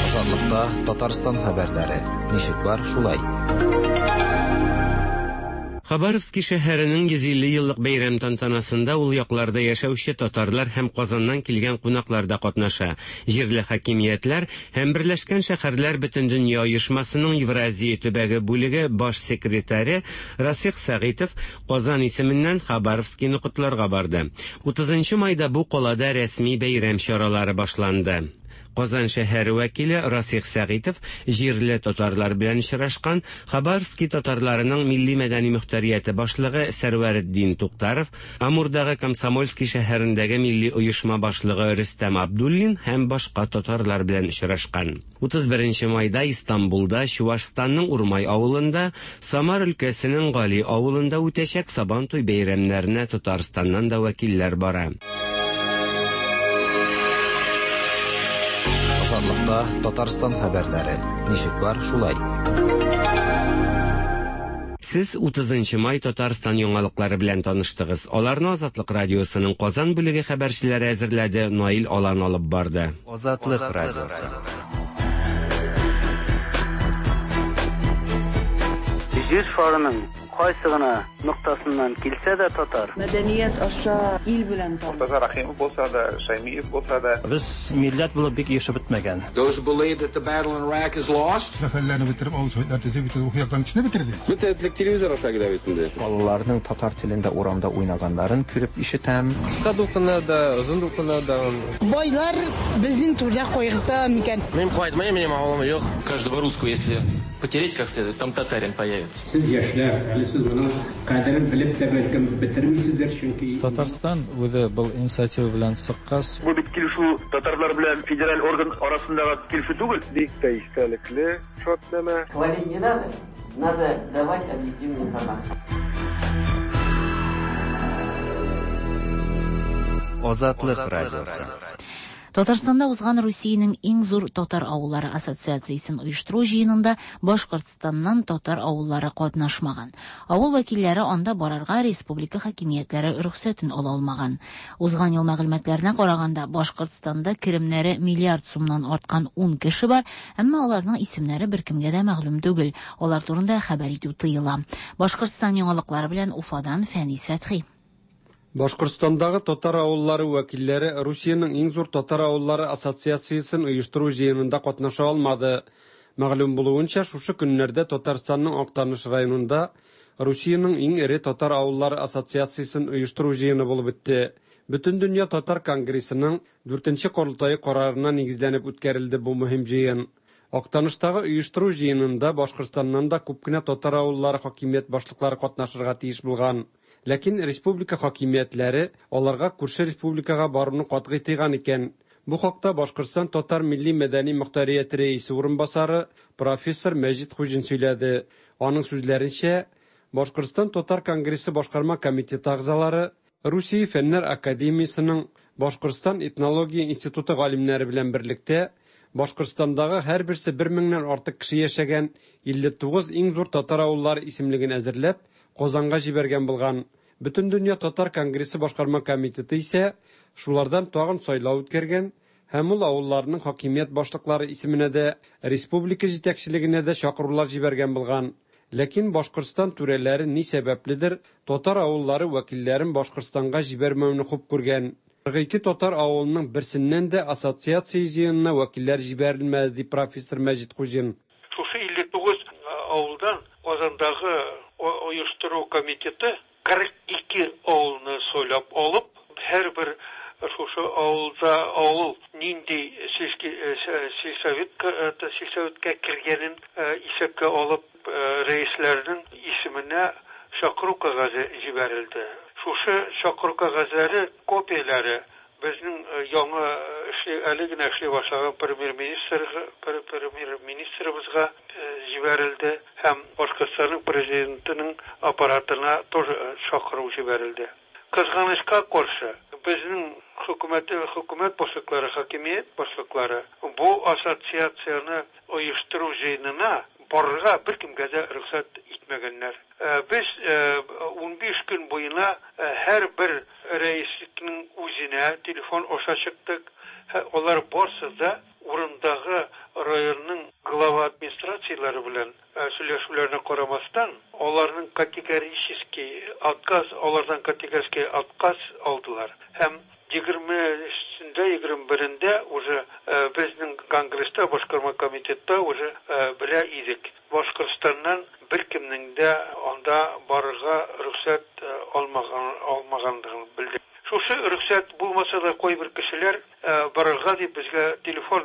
Азатлыкта Татарстан хәбәрләре. Ничек бар, шулай. Хабаровски шәһәренең 150 еллык бәйрәм тантанасында ул якларда яшәүче татарлар һәм Казаннан килгән кунаклар да катнаша. Җирле хакимиятләр һәм Берләшкән шәһәрләр Бөтендөнья оешмасының Евразия төбәге бүлеге баш секретаре Расих Сәгыйтов Казан исеменнән Хабаровскийны котларга барды. 30 майда бу калада рәсми бәйрәм чаралары башланды. Казан шәһәре вәкиле Расих Сәгыйтов җирле татарлар белән очрашкан, Хабаровски татарларының милли мәдәни мөхтәрияте башлыгы Сәрвәретдин Туктаров, Амурдагы Комсомольский шәһәрендәге милли оешма башлыгы Рөстәм Абдуллин һәм башка татарлар белән очрашкан. 31 майда Истанбулда, Чувашстанның Урмай авылында, Самар өлкәсенең Гали авылында үтәчәк Сабантуй бәйрәмнәренә Татарстаннан да вәкилләр бара. Азатлыкта Татарстан хәбәрләре. Ничек бар, шулай. Сез 30 май Татарстан яңалыклары белән таныштыгыз. Аларны Азатлык радиосының Казан бүлеге хәбәрчеләре әзерләде, Наил Алан алып барды. Азатлык радиосы. Җир шарының кайсы гына ноктасыннан килсә дә татар. Мәдәният аша ил белән таныш. Мортаза Рәхимов булса да, Шаймиев булса да. Без милләт булып бик ирешеп бетмәгән. Those who believe that the battle in Iraq is lost. Мәхәлләне бетереп, авыл советлар төзеп, бөтен рухи яктан кешене бетерде. Бөтен этлек телевизор аша килә бит инде. Балаларның татар телендә урамда уйнаганнарын күреп ишетәм. Кыска дулкыннар да, озын дулкыннар да. Байлар безнең түрдә кайгырта микән? Мин кайтмыйм, минем авылым юк. Каждого русского, если потереть как следует, там татарин появится. Сез яшьләр, әле сез моның кадерен белеп тә бәлкем бетермисездер, чөнки Татарстан үзе был инициатива белән чыккач, Бу бит килешү татарлар белән федераль орган арасындагы килешү түгел. Бик тә истәлекле шартнамә. Хвалить не надо, надо давать объективную информацию. Азатлык радиосы. Татарстанда узган Русиянең иң зур татар авыллары ассоциациясен оештыру җыенында Башкортстаннан татар авыллары катнашмаган. Авыл вәкилләре анда барырга республика хакимиятләре рөхсәтен ала алмаган. Узган ел мәгълүматларына караганда, Башкортстанда керемнәре миллиард сумнан арткан 10 кеше бар, әмма аларның исемнәре беркемгә дә мәгълүм түгел. Алар турында хәбәр итү тыела. Башкортстан яңалыклары белән Уфадан Фәнис Фәтхи. Башкортстандагы татар авыллары вәкилләре Русиянең иң зур татар авыллары ассоциациясен оештыру җыенында катнаша алмады. Мәгълүм булуынча, шушы көннәрдә Татарстанның Актаныш районында Русиянең иң эре татар авыллары ассоциациясен оештыру җыены булып үтте. Бөтендөнья татар конгрессының 4нче корылтае карарына нигезләнеп үткәрелде бу мөһим җыен. Актаныштагы оештыру җыенында Башкортстаннан да күп кенә татар авыллары хакимият башлыклары катнашырга тиеш булган. Ләкин республика хакимиятләре аларга күрше республикага баруны катгый тыйган икән. Бу хакта Башкортстан татар милли мәдәни мөхтәрияте рәисе урынбасары профессор Мәҗит Хуҗин сөйләде. Аның сүзләренчә, Башкортстан татар конгрессы башкарма комитеты әгъзалары Русия фәннәр академиясенең Башкортстан этнология институты галимнәре белән берлектә Башкортстандагы һәрберсе 1000-нән артык кеше яшәгән 59 иң зур татар авыллары исемлеген әзерләп, Казанга җибәргән булган. Бөтендөнья татар конгрессы башкарма комитеты исә шулардан тагын сайлау үткәргән һәм ул авылларның хакимият башлыклары исеменә дә, республика җитәкчелегенә дә чакырулар җибәргән булган. Ләкин Башкортстан түрәләре ни сәбәпледер татар авыллары вәкилләрен Башкортстанга җибәрмәүне хуп күргән. 42 татар авылының берсеннән дә ассоциация җыенына вәкилләр җибәрелмәде, ди профессор Мәҗит Хуҗин. Шушы 59 авылдан Казандагы оештыру комитеты 42 авылны сайлап алып, һәрбер шушы авылда авыл нинди сельский сельсоветка сельсоветка кергәнен исәпкә алып, рәисләрнең исеменә чакыру кәгазе җибәрелде. Шушы чакыру кәгазьләре копияләре безнең яңа эшли әле генә эшли башлаган премьер-министр премьер-министрыбызга җибәрелде һәм Башкортстанның президентының аппаратына тоже чакыру җибәрелде. Кызганычка каршы, безнең хөкүмәт хөкүмәт башлыклары, хакимият башлыклары бу ассоциацияне оештыру җыенына барырга беркемгә дә рөхсәт итмәгәннәр. Без 15 көн буена һәрбер рәислекнең үзенә телефон аша чыктык. Алар барсы да урындагы районның глава администрацияләре белән сөйләшүләренә карамастан, аларның категорический отказ, алардан категорический отказ алдылар. Һәм 20-сендә, 21-ндә уже безнең конгресста, башкарма комитетта уже белә идек. Башкортстаннан беркемнең дә анда барырга рөхсәт алмаган алмаганлыгын белдек. Шушы рөхсәт булмаса да кайбер кешеләр барырга дип безгә телефон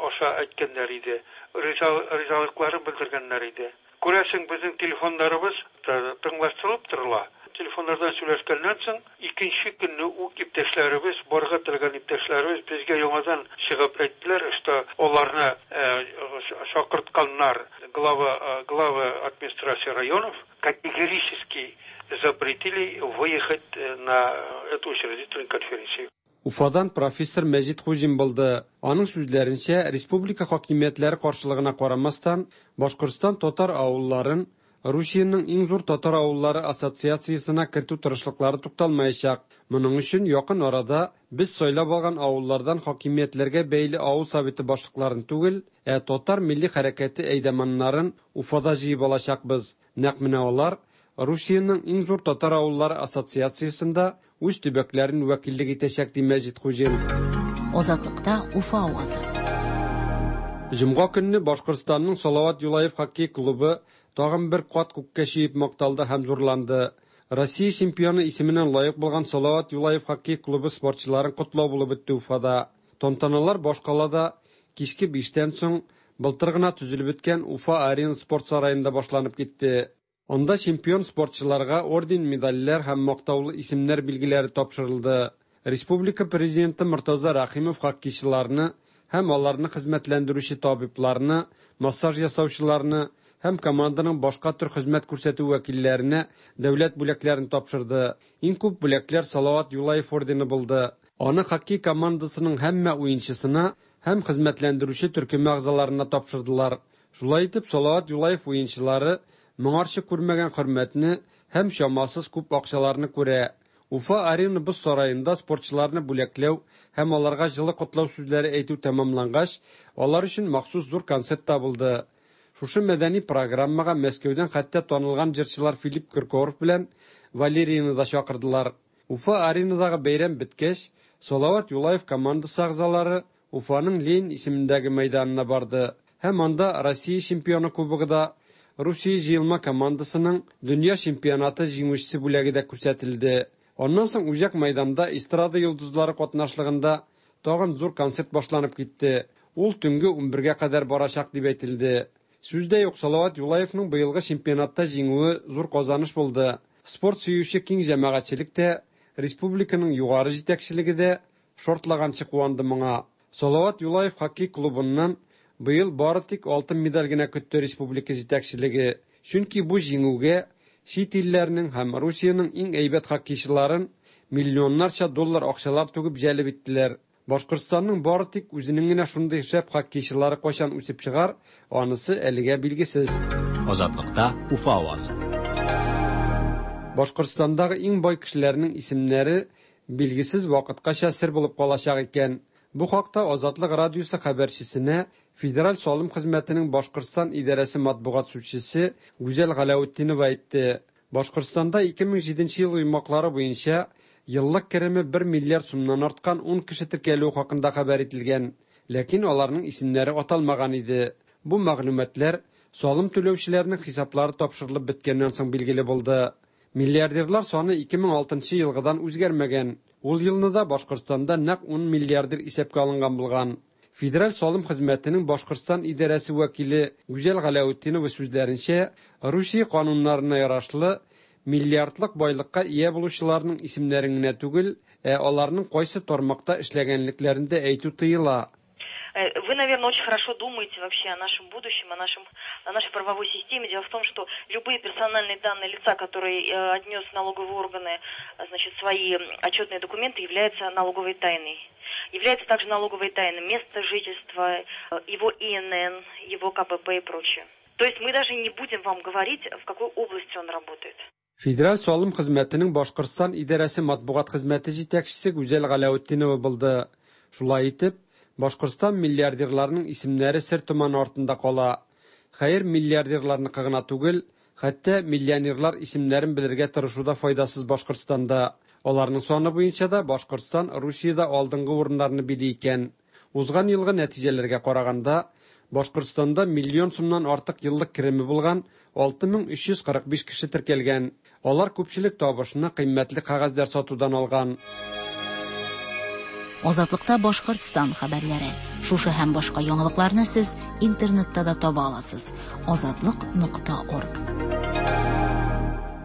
аша әйткәннәр иде. Ризалыкларын белдергәннәр иде. Күрәсең, безнең телефоннарыбыз тыңлаштырылып торыла. Телефоннардан сөйләшкәннән соң, икенче көнне үк иптәшләребез, барырга теләгән иптәшләребез безгә яңадан чыгып әйттеләр, что аларны чакыртканнар глава главы администрации районов категорически запретили выехать на эту учредительную конференцию. Уфадан профессор Мәҗит Хуҗин булды. Аның сүзләренчә, республика хакимиятләре каршылыгына карамастан, Башкортстан татар авылларын Русиянең иң зур татар авыллары ассоциациясенә кертү тырышлыклары тукталмаячак. Моның өчен якын арада без сайлап алган авыллардан хакимиятләргә бәйле авыл советы башлыкларын түгел, ә татар милли хәрәкәте әйдаманнарын Уфада җыеп алачакбыз. Нәкъ менә алар Русиянең иң зур татар авыллары ассоциациясендә үз төбәкләрен вәкиллек итәчәк, ди Мәҗит Хуҗин. Азатлыкта Уфа авазы. Җомга көнне Башкортстанның Салават Юлаев хоккей клубы тагын бер кат күккә чөеп макталды һәм зурланды. Россия чемпионы исеменә лаек булган Салават Юлаев хоккей клубы спортчыларын котлау булып үтте Уфада. Тантаналар башкалада кичке 5тән соң былтыр гына төзелеп беткән Уфа Арена спорт сараенда башланып китте. Анда чемпион спортчыларга орден, медальләр һәм мактаулы исемнәр билгеләре тапшырылды. Республика президенты Мортаза Рәхимов хоккейчыларны һәм аларны хезмәтләндерүче табибларны, массаж ясаучыларны һәм команданың башка төр хезмәт күрсәтү вәкилләренә дәүләт бүләкләрен тапшырды. Иң күп бүләкләр Салават Юлаев ордены булды. Аны хоккей командасының һәммә уенчысына һәм хезмәтләндерүче төркеме әгъзаларына тапшырдылар. Шулай итеп, Салават Юлаев уенчылары моңарчы күрмәгән хөрмәтне һәм чамасыз күп акчаларны күрә. Уфа Арена боз сараенда спортчыларны бүләкләү һәм аларга җылы котлау сүзләре әйтү тәмамлангач, алар өчен махсус зур концерт та булды. Шушы мәдәни программага Мәскәүдән хәтта танылган җырчылар Филипп Киркоров белән Валерияны да чакырдылар. Уфа Аренадагы бәйрәм беткәч, Салават Юлаев командасы әгъзалары Уфаның Ленин исемендәге мәйданына барды һәм анда Россия чемпионы кубогы да, Русия җыелма командасының дөнья чемпионаты җиңүчесе бүләге дә күрсәтелде. Аннан соң үзәк мәйданда эстрада йолдызлары катнашлыгында тагын зур концерт башланып китте. Ул төнге 11гә кадәр барачак дип әйтелде. Сүз дә юк, Салават Юлаевның быелгы чемпионатта җиңүе зур казаныш булды. Спорт сөюче киң җәмәгатьчелек тә, республиканың югары җитәкчелеге дә шортлаганчы куанды моңа. Салават Юлаев хоккей клубыннан быел бары тик алтын медаль генә көтте республика җитәкчелеге. Чөнки бу җиңүгә чит илләрнең һәм Русиянең иң әйбәт хоккейчыларын миллионнарча доллар акчалар түгеп җәлеп иттеләр. Башкортстанның бары тик үзенең генә шундый шәп хоккейчылары кайчан үсеп чыгар, анысы әлегә билгесез. Азатлыкта Уфа авазы. Башкортстандагы иң бай кешеләрнең исемнәре билгесез вакыткача сер булып калачак икән. Бу хакта Азатлык радиосы хәбәрчесенә Федераль салым хезмәтенең Башкортстан идарәсе матбугат сүзчесе Гүзәл Галәүтдинова әйтте. Башкортстанда 2007 ел йомгаклары буенча еллык кереме бер миллиард сумнан арткан ун кеше теркәлүе хакында хәбәр ителгән. Ләкин аларның исемнәре аталмаган иде. Бу мәгълүматлар салым түләүчеләрнең хисаплары тапшырылып беткәннән соң билгеле булды. Миллиардерлар саны 2006 нчы елгыдан үзгәрмәгән. Ул елны да Башкортстанда нәкъ ун миллиардер исәпкә алынган булган. Федераль салым хезмәтенең Башкортстан идарәсе вәкиле Гүзәл Галәүтдинова сүзләренчә, Русия кануннарына ярашлы, миллиардлык байлыкка ия булучыларның исемнәрен генә түгел, ә аларның кайсы тармакта эшләгәнлекләрен дә әйтү тыела. Э, вы, наверное, очень хорошо думаете вообще о нашем будущем, о, нашем, о нашей правовой системе. Дело в том, что любые персональные данные лица, которые э, отнес налоговые органы, значит, свои отчетные документы, являются налоговой тайной. Является также налоговой тайной место жительства, э, его ИНН, его КПП и прочее. То есть мы даже не будем вам говорить, в какой области он работает. Федераль салым хезмәтенең Башкортстан идарәсе матбугат хезмәте җитәкчесе Гүзәл Галәветдинова булды. Шулай итеп, Башкортстан миллиардерларының исемнәре сер томаны артында кала. Хәер, миллиардерларныкы гына түгел, хәтта миллионерлар исемнәрен белергә тырышу да файдасыз Башкортстанда. Аларның саны буенча да Башкортстан Русиядә алдынгы урыннарны били икән. Узган елгы нәтиҗәләргә караганда, Башкортстанда миллион сумнан артык еллык кереме булган 6345 кеше теркәлгән. Алар күпчелек табышны кыйммәтле кәгазьләр сатудан алган. Азатлыкта Башкортстан хәбәрләре. Шушы һәм башка яңалыкларны сез интернетта да таба аласыз. Азатлык.орг.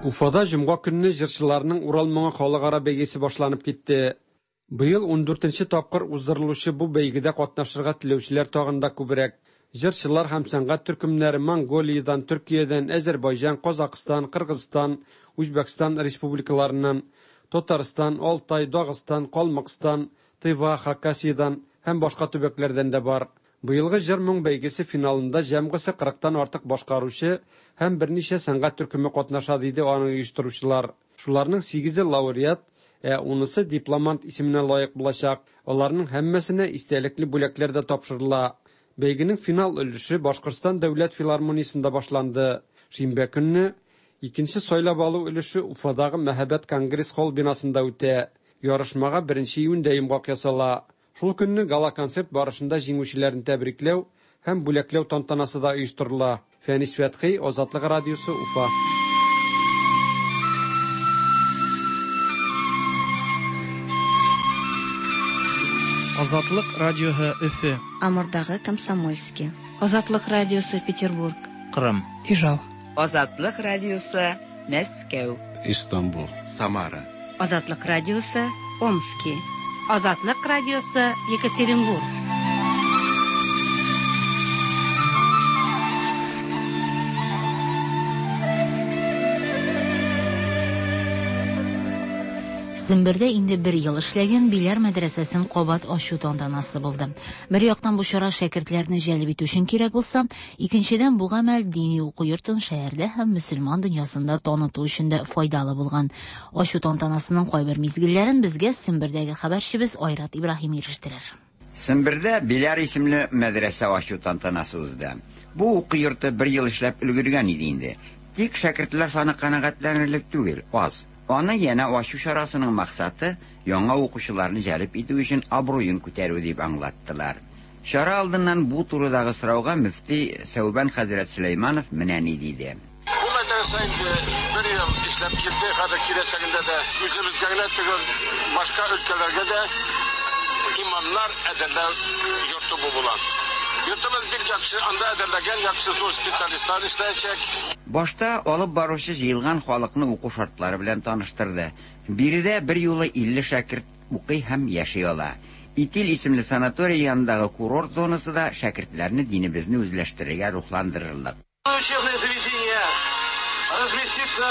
Уфада җомга көнне җырчыларның Урал моңы халыкара бәйгесе башланып китте. Быел ундүртенче тапкыр уздырылучы бу бәйгедә катнашырга теләүчеләр тагын да күбрәк. Җырчылар һәм сәнгать төркемнәре Монголиядән, Төркиядән, Әзербайҗан, Казакъстан, Кыргызстан, Үзбәкстан республикаларыннан, Татарстан, Алтай, Дагыстан, Калмыкстан, Тыва, Хакасиядән һәм башка төбәкләрдән дә бар. Быелгы җыр-моң бәйгесе финалында җәмгысе кырыктан артык башкаручы һәм берничә сәнгать төркеме катнаша, диде аны оештыручылар. Шуларның сигезе лауреат, ә унысы дипломант исеменә лаек булачак. Аларның һәммәсенә истәлекле бүләкләр дә тапшырыла. Бәйгенең финал өлеше Башкортстан дәүләт филармониясендә башланды. Шимбә көнне икенче сайлап алу өлеше Уфадагы мәһабәт Конгресс-холл бинасында үтә. Ярышмага беренче июньдә йомгак ясала. Шул көнне гала-концерт барышында җиңүчеләрне тәбрикләү һәм бүләкләү тантанасы да оештырыла. Фәнис Фәтхи, Азатлык радиосы, Уфа. Азатлык радиоһы Өфе. Амурдагы Комсомольски. Азатлык радиосы Петербург. Кырым. Ижау. Азатлык радиосы Мәскәү. Истанбул. Самара. Азатлык радиосы Омски. Азатлык радиосы Екатеринбург. Сембердә инде бер ел эшләгән Биләр мәдрәсәсен кабат ачу тантанасы булды. Бер яктан бу чара шәкертләрне җәлеп итү өчен кирәк булса, икенчедән бу гамәл дини уку йортын шәһәрдә һәм мөселман дөньясында таныту өчен дә файдалы булган. Ачу тантанасының кайбер мизгелләрен безгә Сембердәге хәбәрчебез Айрат Ибраһим ирештерер. Сембердә Биләр исемле мәдрәсә ачу тантанасы узды. Бу уку йорты бер ел эшләп өлгергән иде инде. Тик шәкертләр саны канәгатьләнерлек түгел, аз. Аны янә ачу чарасының максаты яңа укучыларны җәлеп итү өчен абруен күтәрү дип аңлаттылар. Чара алдыннан бу турыдагы сорауга мөфти Сәүбән хәзрәт Сөләйманов менә ни диде. Бу мәдрәсә инде бер ел эшләп килде, хәзер киләчәгендә дә үзебезгә генә түгел, башка өлкәләргә дә имамнар әзерләү йорты бу була. Йортыбыз бик яхшы, анда әзерләгән яхшы зур специалистлар эшләячәк. Башта алып баручы җыелган халыкны уку шартлары белән таныштырды. Биредә берьюлы 50 шәкерт укый һәм яши ала. Итил исемле санаторий янындагы курорт зонасы да шәкертләрне динебезне үзләштерергә рухландырырлык. Учебное заведение разместится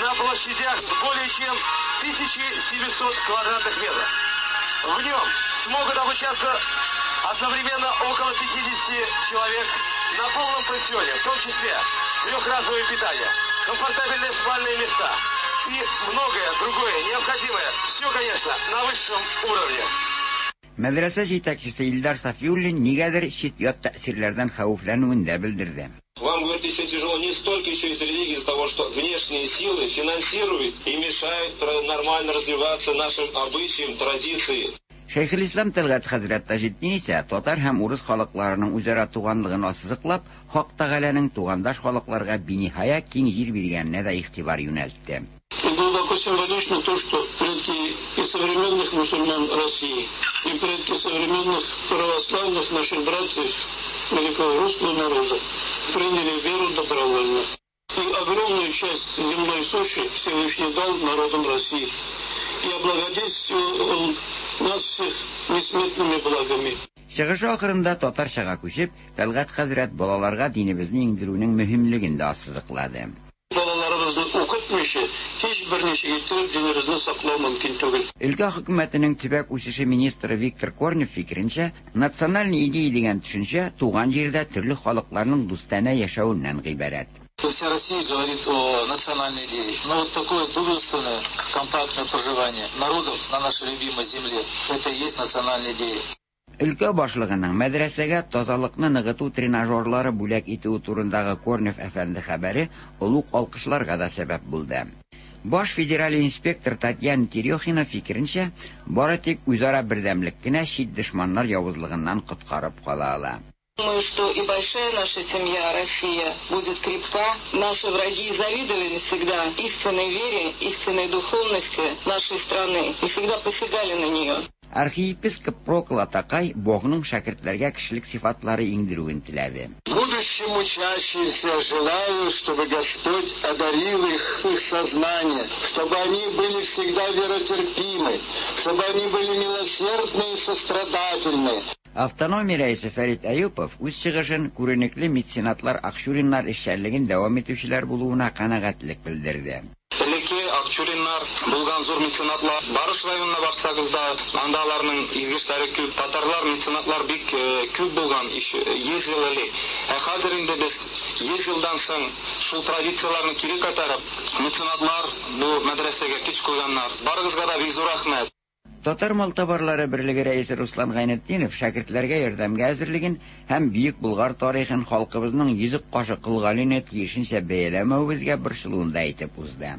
на площадях более чем 1700 квадратных метров. В нем смогут обучаться одновременно около 50 человек на полном пансионе, в том числе трехразовое питание, комфортабельные спальные места и многое другое необходимое. Все, конечно, на высшем уровне. Мәдрәсә җитәкчесе Илдар Сафиуллин нигәдер чит-ят тәэсирләрдән хәвефләнүен дә белдерде. Вам, говорит, еще тяжело не столько еще из религии, из-за того, что внешние силы финансируют и мешают нормально развиваться нашим обычаям, традиции. Шәйхелислам Тәлгать хәзрәт Таҗетдин исә татар һәм урыс халыкларының үзара туганлыгын ассызыклап, Хак Тәгаләнең тугандаш халыкларга биниһая киң җир биргәненә дә игътибар юнәлтте. И глубоко символично то, что предки и современных мусульман России, и предки современных православных наших братьев великого русского народа приняли веру добровольно. И огромную часть земной суши Всевышний дал народам России. И облагодетельствовал он нас всех несметными благами. Чыгышы ахырында татарчага күчеп, Тәлгать хәзрәт балаларга динебезне иңдерүнең мөһимлеген дә ассызыклады. Балаларыбызны укытмыйча, һич берничек иттереп динебезне саклау мөмкин түгел. Өлкә хөкүмәтенең төбәк үсеше министры Виктор Корнев фикеренчә, национальная идея дигән төшенчә туган җирдә төрле халыкларның дустанә яшәвеннән гыйбарәт. Вся Россия говорит о национальной идее. Но вот такое дружественное, компактное проживание народов на нашей любимой земле, это и есть национальная идея. Өлкә башлыгының мәдрәсәгә тазалыкны ныгыту тренажерлары бүләк итүе турындагы Корнев әфәнде хәбәре олуг алкышларга да сәбәп булды. Баш федераль инспектор Татьяна Терехина фикеренчә, бары тик үзара бердәмлек кенә чит дошманнар явызлыгыннан коткарып кала ала. Думаю, что и большая наша семья, Россия, будет крепка. Наши враги завидовали всегда истинной вере, истинной духовности нашей страны и всегда посягали на нее. Архиепископ Прокл атакай Богның шәкертләргә кешелек сыйфатлары иңдерүен теләде. Будущим учащимся желаю, чтобы Господь одарил их, их сознание, чтобы они были всегда веротерпимы, чтобы они были милосердны и сострадательны. Автономия рәисе Фәрит Әюпов үз чыгышын күренекле меценатлар Акчуриннар эшчәнлеген дәвам итүчеләр булуына канәгатьлек белдерде. Элекке Акчуриннар булган зур меценатлар. Барыш районына барсагыз да, анда аларның изге эшләре күп. Татарлар меценатлар бик күп булган 100 ел элек. Ә хәзер инде без 100 елдан соң шул традицияләрне кире кайтарып, меценатлар бу мәдрәсәгә көч куйганнар. Барыгызга да бик зур рәхмәт. Татар малтабарлары берлеге рәисе Руслан Гайнетдинов шәкертләргә ярдәмгә әзерлеген һәм бөек Болгар тарихын халкыбызның йөзек кашы Кол Галине тиешенчә бәяләмәвебезгә борчылуын да әйтеп узды.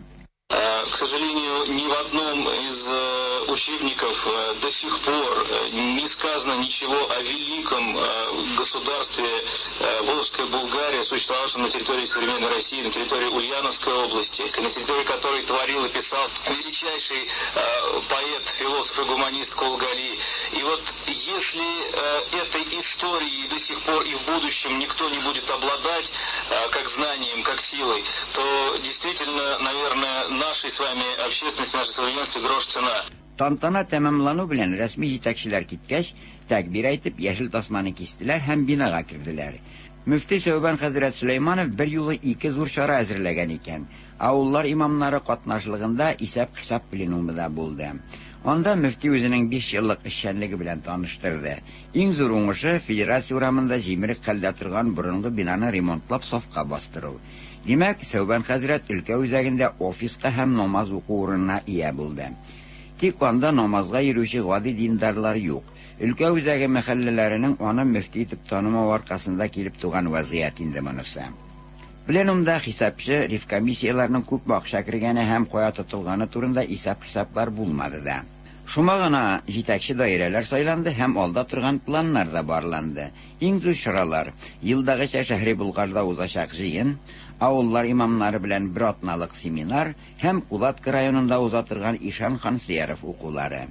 К сожалению, ни в одном из учебников до сих пор не сказано ничего о великом государстве Волжская Булгария, существовавшем на территории современной России, на территории Ульяновской области, на территории которой творил и писал величайший поэт, философ и гуманист Кол Гали. И вот если этой историей до сих пор и в будущем никто не будет обладать как знанием, как силой, то действительно, наверное, нашей с вами общественности, нашей современности грош цена. Тантана тәмамлану белән рәсми җитәкчеләр киткәч, тәкбир әйтеп, яшел тасманы кистеләр һәм бинага керделәр. Мөфти Сәүбән хәзрәт Сөләйманов бер юлы ике зур чара әзерләгән икән. Авыллар имамнары катнашлыгында исәп-хисап пленумы да булды. Анда мөфти үзенең 5 еллык эшчәнлеге белән таныштырды. Иң зур уңышы Федерация урамында җимерек хәлдә торган борынгы бинаны ремонтлап сафка бастыру. Димәк, Сәүбән хәзрәт өлкә үзәгендә офиска һәм намаз уку урынына ия булды. Тик анда намазга йөрүче гади диндарлар юк. Өлкә үзәге мәхәлләләренең аны мөфти итеп танымау аркасында килеп туган вазгыять инде монысы. Пленумда хисапчы ревкомиссияләрнең күпме акча кергәне һәм кая тотылганы турында исәп-хисаплар булмады да. Шума гына җитәкче даирәләр сайланды һәм алда торган планнар да барланды. Иң зур чаралар елдагыча Шәһри Булгарда узачак җыен, авыллар имамнары белән бер атналык семинар һәм Кулатка районында уза торган Ишан Хансияров укулары.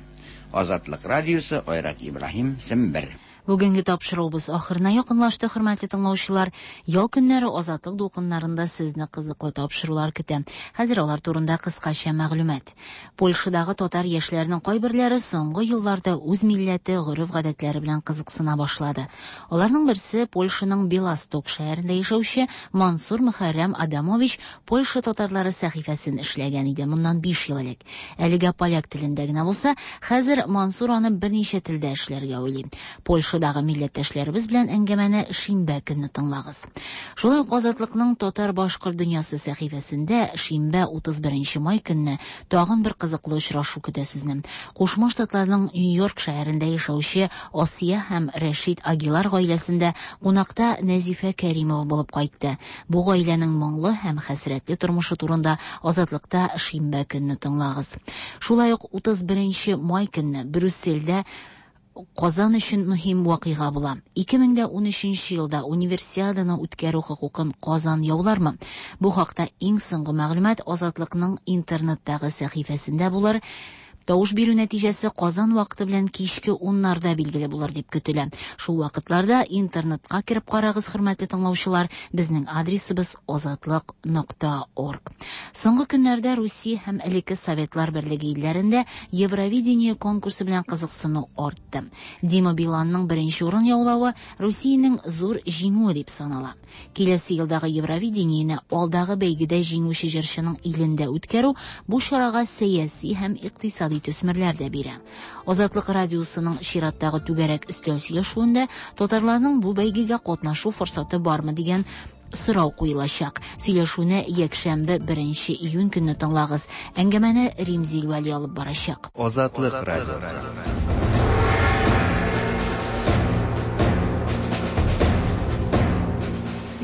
Азатлык радиосы, Айрат Ибраһим, Сембер. Бүгенге тапшыруыбыз ахырына якынлашты, хөрмәтле тыңлаучылар. Ял көннәре Азатлык дулкыннарында сезне кызыклы тапшырулар көтә. Хәзер алар турында кыскача мәгълүмат. Польшадагы татар яшьләренең кайберләре соңгы елларда үз милләте, гореф-гадәтләре белән кызыксына башлады. Аларның берсе Польшаның Белосток шәһәрендә яшәүче Мансур Мөхәррәм Адамович Польша татарлары сәхифәсен эшләгән иде моннан 5 ел элек. Әлегә поляк телендә генә булса, хәзер Мансур аны берничә телдә эшләргә уйлый. Польша Польшадагы милләттәшләребез белән әңгәмәне шимбә көнне тыңлагыз. Шулай ук Азатлыкның Татар-башкорт дөньясы сәхифәсендә шимбә 31 май көнне тагын бер кызыклы очрашу көтә сезне. Кушма Штатларның Нью-Йорк шәһәрендә яшәүче Асия һәм Рәшит Агилар гаиләсендә кунакта Нәзифә Кәримова булып кайтты. Бу гаиләнең моңлы һәм хәсрәтле тормышы турында Азатлыкта шимбә көнне тыңлагыз. Шулай ук 31 май көнне Брюссельдә Казан өчен мөһим вакыйга була. 2013 елда Универсиаданы үткәрү хокукын Казан яулармы? Бу хакта иң соңгы мәгълүмат Азатлыкның интернеттагы сәхифәсендә булыр. Тавыш бирү нәтиҗәсе Казан вакыты белән кичке уннарда билгеле булыр дип көтелә. Шул вакытларда интернетка кереп карагыз, хөрмәтле тыңлаучылар, безнең адресыбыз азатлык нокта орг. Соңгы көннәрдә Русия һәм элекке Советлар Берлеге илләрендә Евровидение конкурсы белән кызыксыну артты. Дима Биланның беренче урын яулавы Русиянең зур җиңүе дип санала. Киләсе елдагы Евровидениене алдагы бәйгедә җиңүче җырчының илендә үткәрү бу чарага сәяси һәм икътисади төсмерләр дә бирә. Азатлык радиосының чираттагы түгәрәк өстәл сөйләшүендә татарларның бу бәйгегә катнашу форсаты бармы дигән сорау куелачак. Сөйләшүне якшәмбе 1 июнь көнне тыңлагыз. Әңгәмәне Римзил Вәли алып барачак. Азатлык радиосы.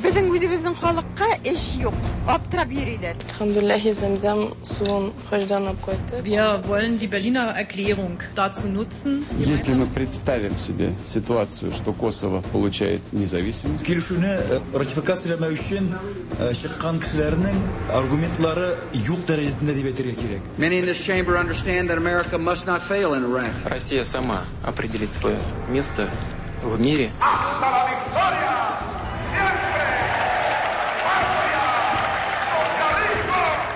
Безнең үзебезнең халыкка эш юк, аптырап йөриләр. Әлхәмдүлилләһи, зәмзәм суын хаҗдан алып кайттык. Wir wollen die Berliner Erklärung dazu nutzen. Если мы представим себе ситуацию, что Косово получает независимость. Килешүне ратификацияләмәү өчен чыккан кешеләрнең аргументлары юк дәрәҗәсендә дип әйтергә кирәк. Many in this chamber understand that America must not fail in Iraq. Россия сама определит свое место в мире.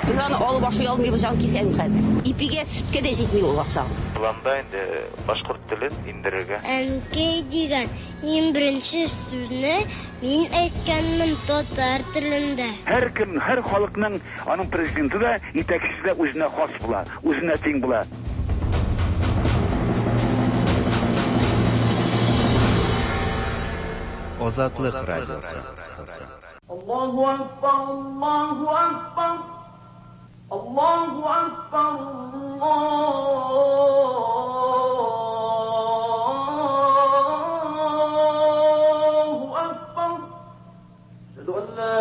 Без аны алып ашый алмыйбыз, җан кисәм хәзер. Ипигә, сөткә дә җитми ул акчабыз. Планда инде башкорт телен индерергә. Әнкәй дигән иң беренче сүзне мин әйткәнмен татар телендә. Һәркем, һәр халыкның аның президенты да, итәкчесе дә үзенә хас була, үзенә тиң була. Азатлык радиосы. Аллаһу акбар, Аллаһу акбар. Аллаһу акбар, Аллаһу акбар. Әшһәду ан ла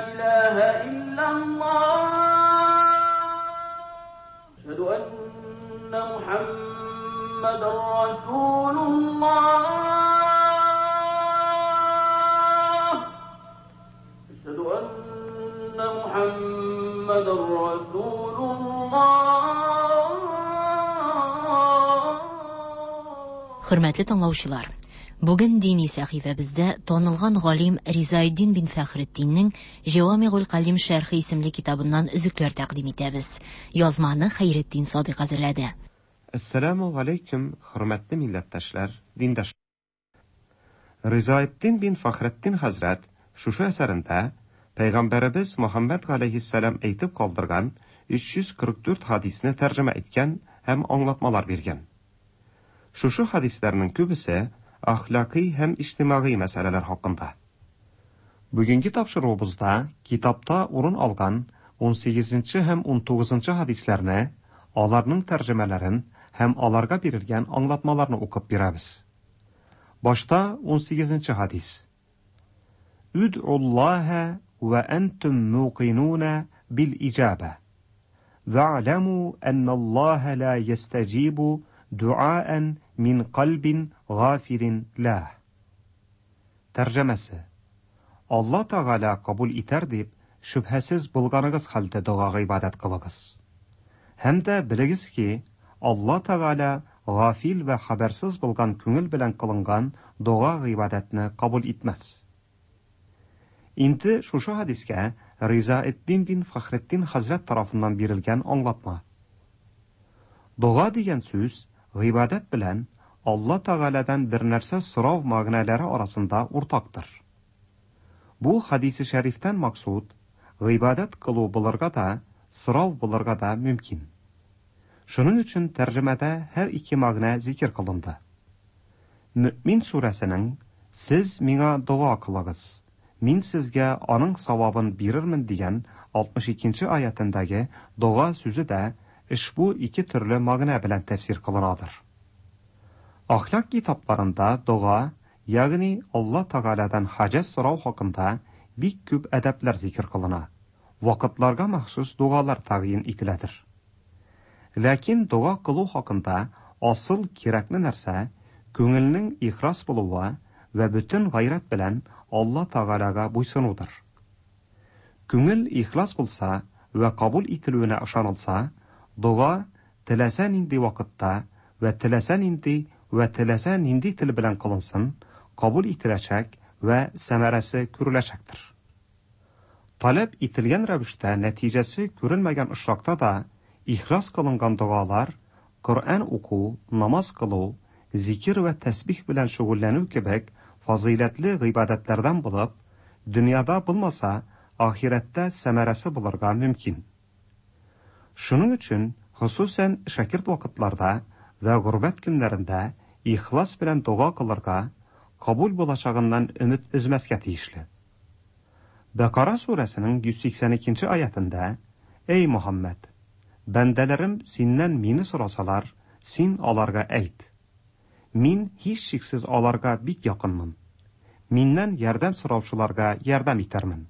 илаһа иллаллаһ. Әшһәду анна Мухаммадан расулуллаһ. Әшһәду анна Мухаммадан расулуллаһ. Хөрмәтле тыңлаучылар, бүген дини сәхифәбездә танылган галим Ризаэддин бин Фәхретдиннең Җәвамигуль Калим шәрхе исемле китабыннан өзекләр тәкъдим итәбез. Язманы Хәйретдин Садыйк әзерләде. Әссәламү галәйкүм, хөрмәтле милләттәшләр, диндашлар. Ризаэддин бин Фәхретдин хәзрәт шушы әсәрендә Пәйгамбәребез Мөхәммәд галәйһиссәлам әйтеп калдырган 344 хадисне тәрҗемә иткән һәм аңлатмалар биргән. Шушы хадисләрнең күбесе әхлакый һәм иҗтимагый мәсьәләләр хакында. Бүгенге тапшыруыбызда китапта урын алган 18 һәм 19 хадисләрне, аларның тәрҗемәләрен һәм аларга бирелгән аңлатмаларны укып бирәбез. Башта 18 хадис. Үд'уллаһа ва әнтум муқинуна бил иҗаба. Ва'ламу анналлаһа ла ястаҗибу дуаан мин кальбин гафилин лаһ. Тәрҗемәсе. Алла Тәгалә кабул итәр дип, шөбһәсез булганыгыз хәлдә дога гыйбадәт кылыгыз. Һәм дә белегез ки, Алла Тәгалә гафил вә хәбәрсез булган күңел белән кылынган дога гыйбадәтне кабул итмәс. Инде шушы хадискә Ризаэддин бин Фәхретдин хәзрәт тарафыннан бирелгән аңлатма. Дога дигән сүз гыйбадәт белән Алла Тәгаләдән бер нәрсә сорау мәгънәләре арасында уртактыр. Бу хадисе шәрифтән максуд гыйбадәт кылу булырга да, сорау булырга да мөмкин. Шуның өчен тәрҗемәдә һәр ике мәгънә зикер кылынды. Мөэмин сүрәсенең Сез миңа дога кылыгыз, мин сезгә аның савабын бирермен дигән 62 нче аятендәге дога сүзе дә ошбу ике төрле мәгънә белән тәфсир кылынадыр. Әхлак китапларында дога, ягъни Алла Тәгаләдән хаҗәт сорау хакында бик күп әдәпләр зикер кылына, вакытларга махсус догалар тәгъйин ителәдер. Ләкин дога кылу хакында асыл кирәкле нәрсә, күңелнең ихлас булуы вә бөтен гайрәт белән Алла Тәгаләгә буйсынудыр. Күңел ихлас булса вә кабул ителүенә ышанылса, дога теләсә нинди вакытта вә теләсә нинди вә теләсә нинди тел белән кылынсын, кабул ителәчәк вә сәмәрәсе күреләчәктер. Таләп ителгән рәвештә нәтиҗәсе күрелмәгән очракта да, ихлас кылынган догалар, Коръән уку, намаз кылу, зикер вә тәсбих белән шөгыльләнү кебек фазыйләтле гыйбадәтләрдән булып, дөньяда булмаса, ахирәттә сәмәрәсе булырга мөмкин. Шуның өчен, хосусән шәкерт вакытларда вә горбәт көннәрендә ихлас белән дога кылырга, кабул булачагыннан өмет өзмәскә тиешле. Бәкара сүрәсенең 182 нче аятендә, Әй Мөхәммәд! Бәндәләрем синнән мине сорасалар, син аларга әйт, Мин һичшиксез аларга бик якынмын. Миннән ярдәм сораучыларга ярдәм итәрмен.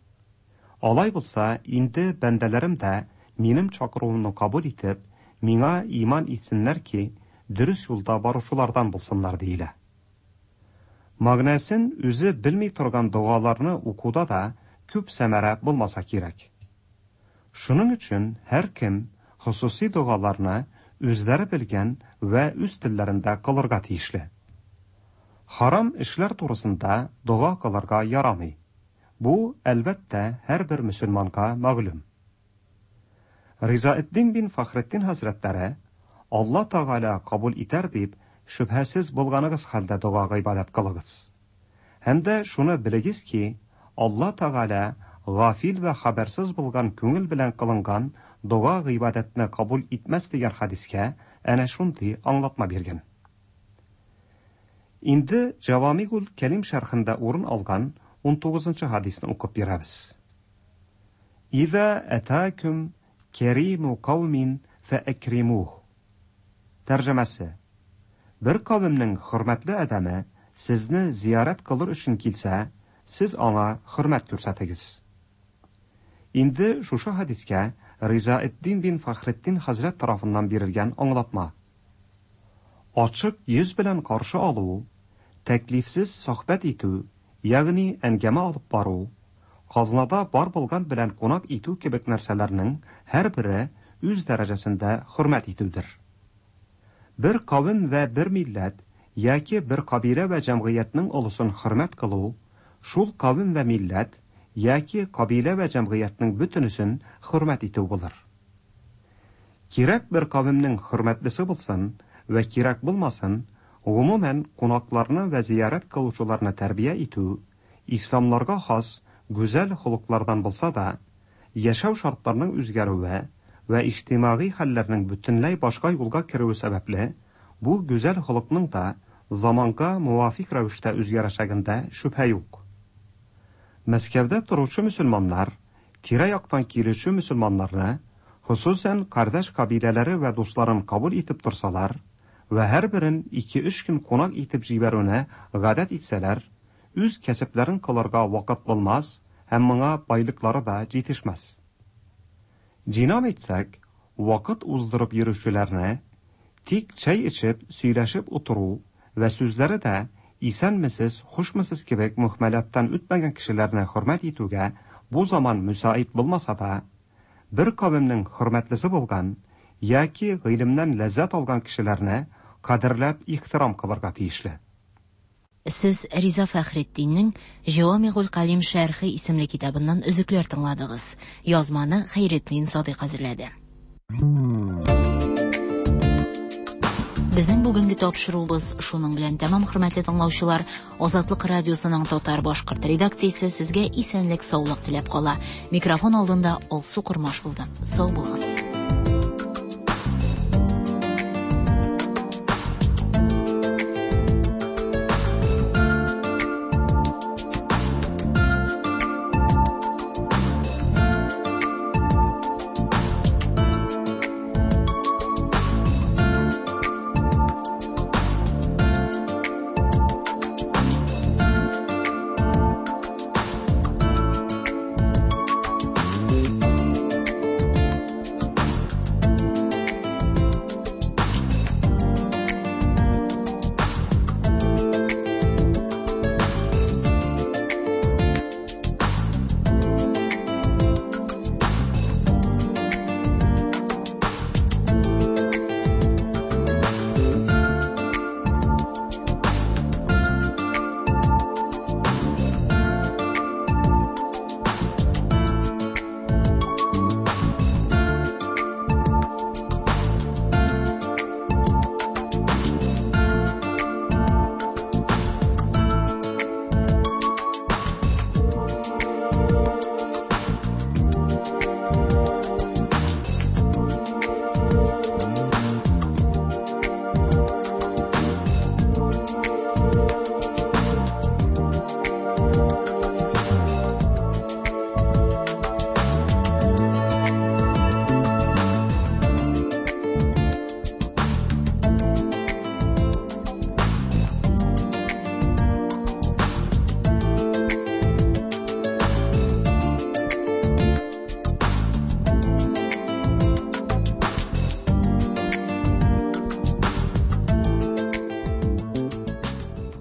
Алай булса, инде бәндәләрем дә минем чакыруымны кабул итеп, миңа иман итсеннәр ки, дөрес юлда баручылардан булсыннар, диелә. Мәгънәсен үзе белми торган догаларны укуда да күп сәмәрә булмаса кирәк. Шуның өчен һәркем хосусый догаларны үзләре белгән вә үз телләрендә кылырга тиешле. Харам эшләр турысында дога кылырга ярамый. Бу, әлбәттә, һәрбер мөселманга мәгълүм. Ризаэтдин бин Фәхретдин хәзрәтләре, Алла Тәгалә кабул итәр дип, шөбһәсез булганыгыз хәлдә дога-гыйбадәт кылыгыз. Һәм дә шуны белегез ки, Алла Тәгалә гафил вә хәбәрсез булган күңел белән кылынган дога-гыйбадәтне кабул итмәс дигән хәдискә әнә шундый аңлатма биргән. Инде Җавамигул Кәлим шәрхендә урын алган унтугызынчы хәдисне укып бирәбез. Иза әтәкүм кәримү каумин фәәкримүһ. Тәрҗемәсе, Бер кавемнең хөрмәтле адәме сезне зиярәт кылыр өчен килсә, сез аңа хөрмәт күрсәтегез. Инде шушы хәдискә Ризаэтдин бин Фәхретдин хәзрәт тарафыннан бирелгән аңлатма. Ачык йөз белән каршы алу, тәклифсез сохбәт итү, ягъни әңгәмә алып бару, казнада бар булган белән кунак итү кебек нәрсәләрнең һәрбере үз дәрәҗәсендә хөрмәт итүдер. Бер кавем вә бер милләт яки бер кабилә вә җәмгыятьнең олысын хөрмәт кылу, шул кавем вә милләт яки кабилә вә җәмгыятьнең бөтенесен хөрмәт итү булыр. Кирәк бер кавемнең хөрмәтлесе булсын вә кирәк булмасын, гомумән, кунакларны вә зиярәт кылучыларны тәрбия итү, исламнарга хас гүзәл холыклардан булса да, яшәү шартларының үзгәрүе вә иҗтимагый хәлләрнең бөтенләй башка юлга керүе сәбәпле, бу гүзәл холыкның да заманга муафикъ рәвештә үзгәрәчәгендә шөбһә юк. Мәскәүдә торучы мөселманнар Тирә-яктан килүче мөселманнарны, хосусән кардәш кабиләләре вә дусларын кабул итеп торсалар вә һәрберен ике-өч көн кунак итеп җибәрүне гадәт итсәләр, үз кәсепләрен кылырга вакыт булмас һәм моңа байлыклары да җитешмәс. Җыйнап әйтсәк, вакыт уздырып йөрүчеләрне, тик чәй эчеп, сөйләшеп утыру вә сүзләре дә исәнмесез, хушмысыз кебек мөһмәлаттан үтмәгән кешеләрне хөрмәт итүгә бу заман мөсаид булмаса да, бер кавемнең хөрмәтлесе булган яки гыйлемнән ләззәт алган кешеләрне кадерләп ихтирам кылырга тиешле. Сез Риза Фәхретдиннең Җәвамигуль Калим шәрхе исемле китабыннан өзекләр тыңладыгыз. Язманы Хәйретдин Садыйк әзерләде. Безнең бүгенге тапшыруыбыз шуның белән тәмам, хөрмәтле тыңлаучылар. Азатлык радиосының татар башкорт редакциясе сезгә исәнлек, саулык теләп кала. Микрофон алдында Алсу Кормаш булды. Сау булыгыз.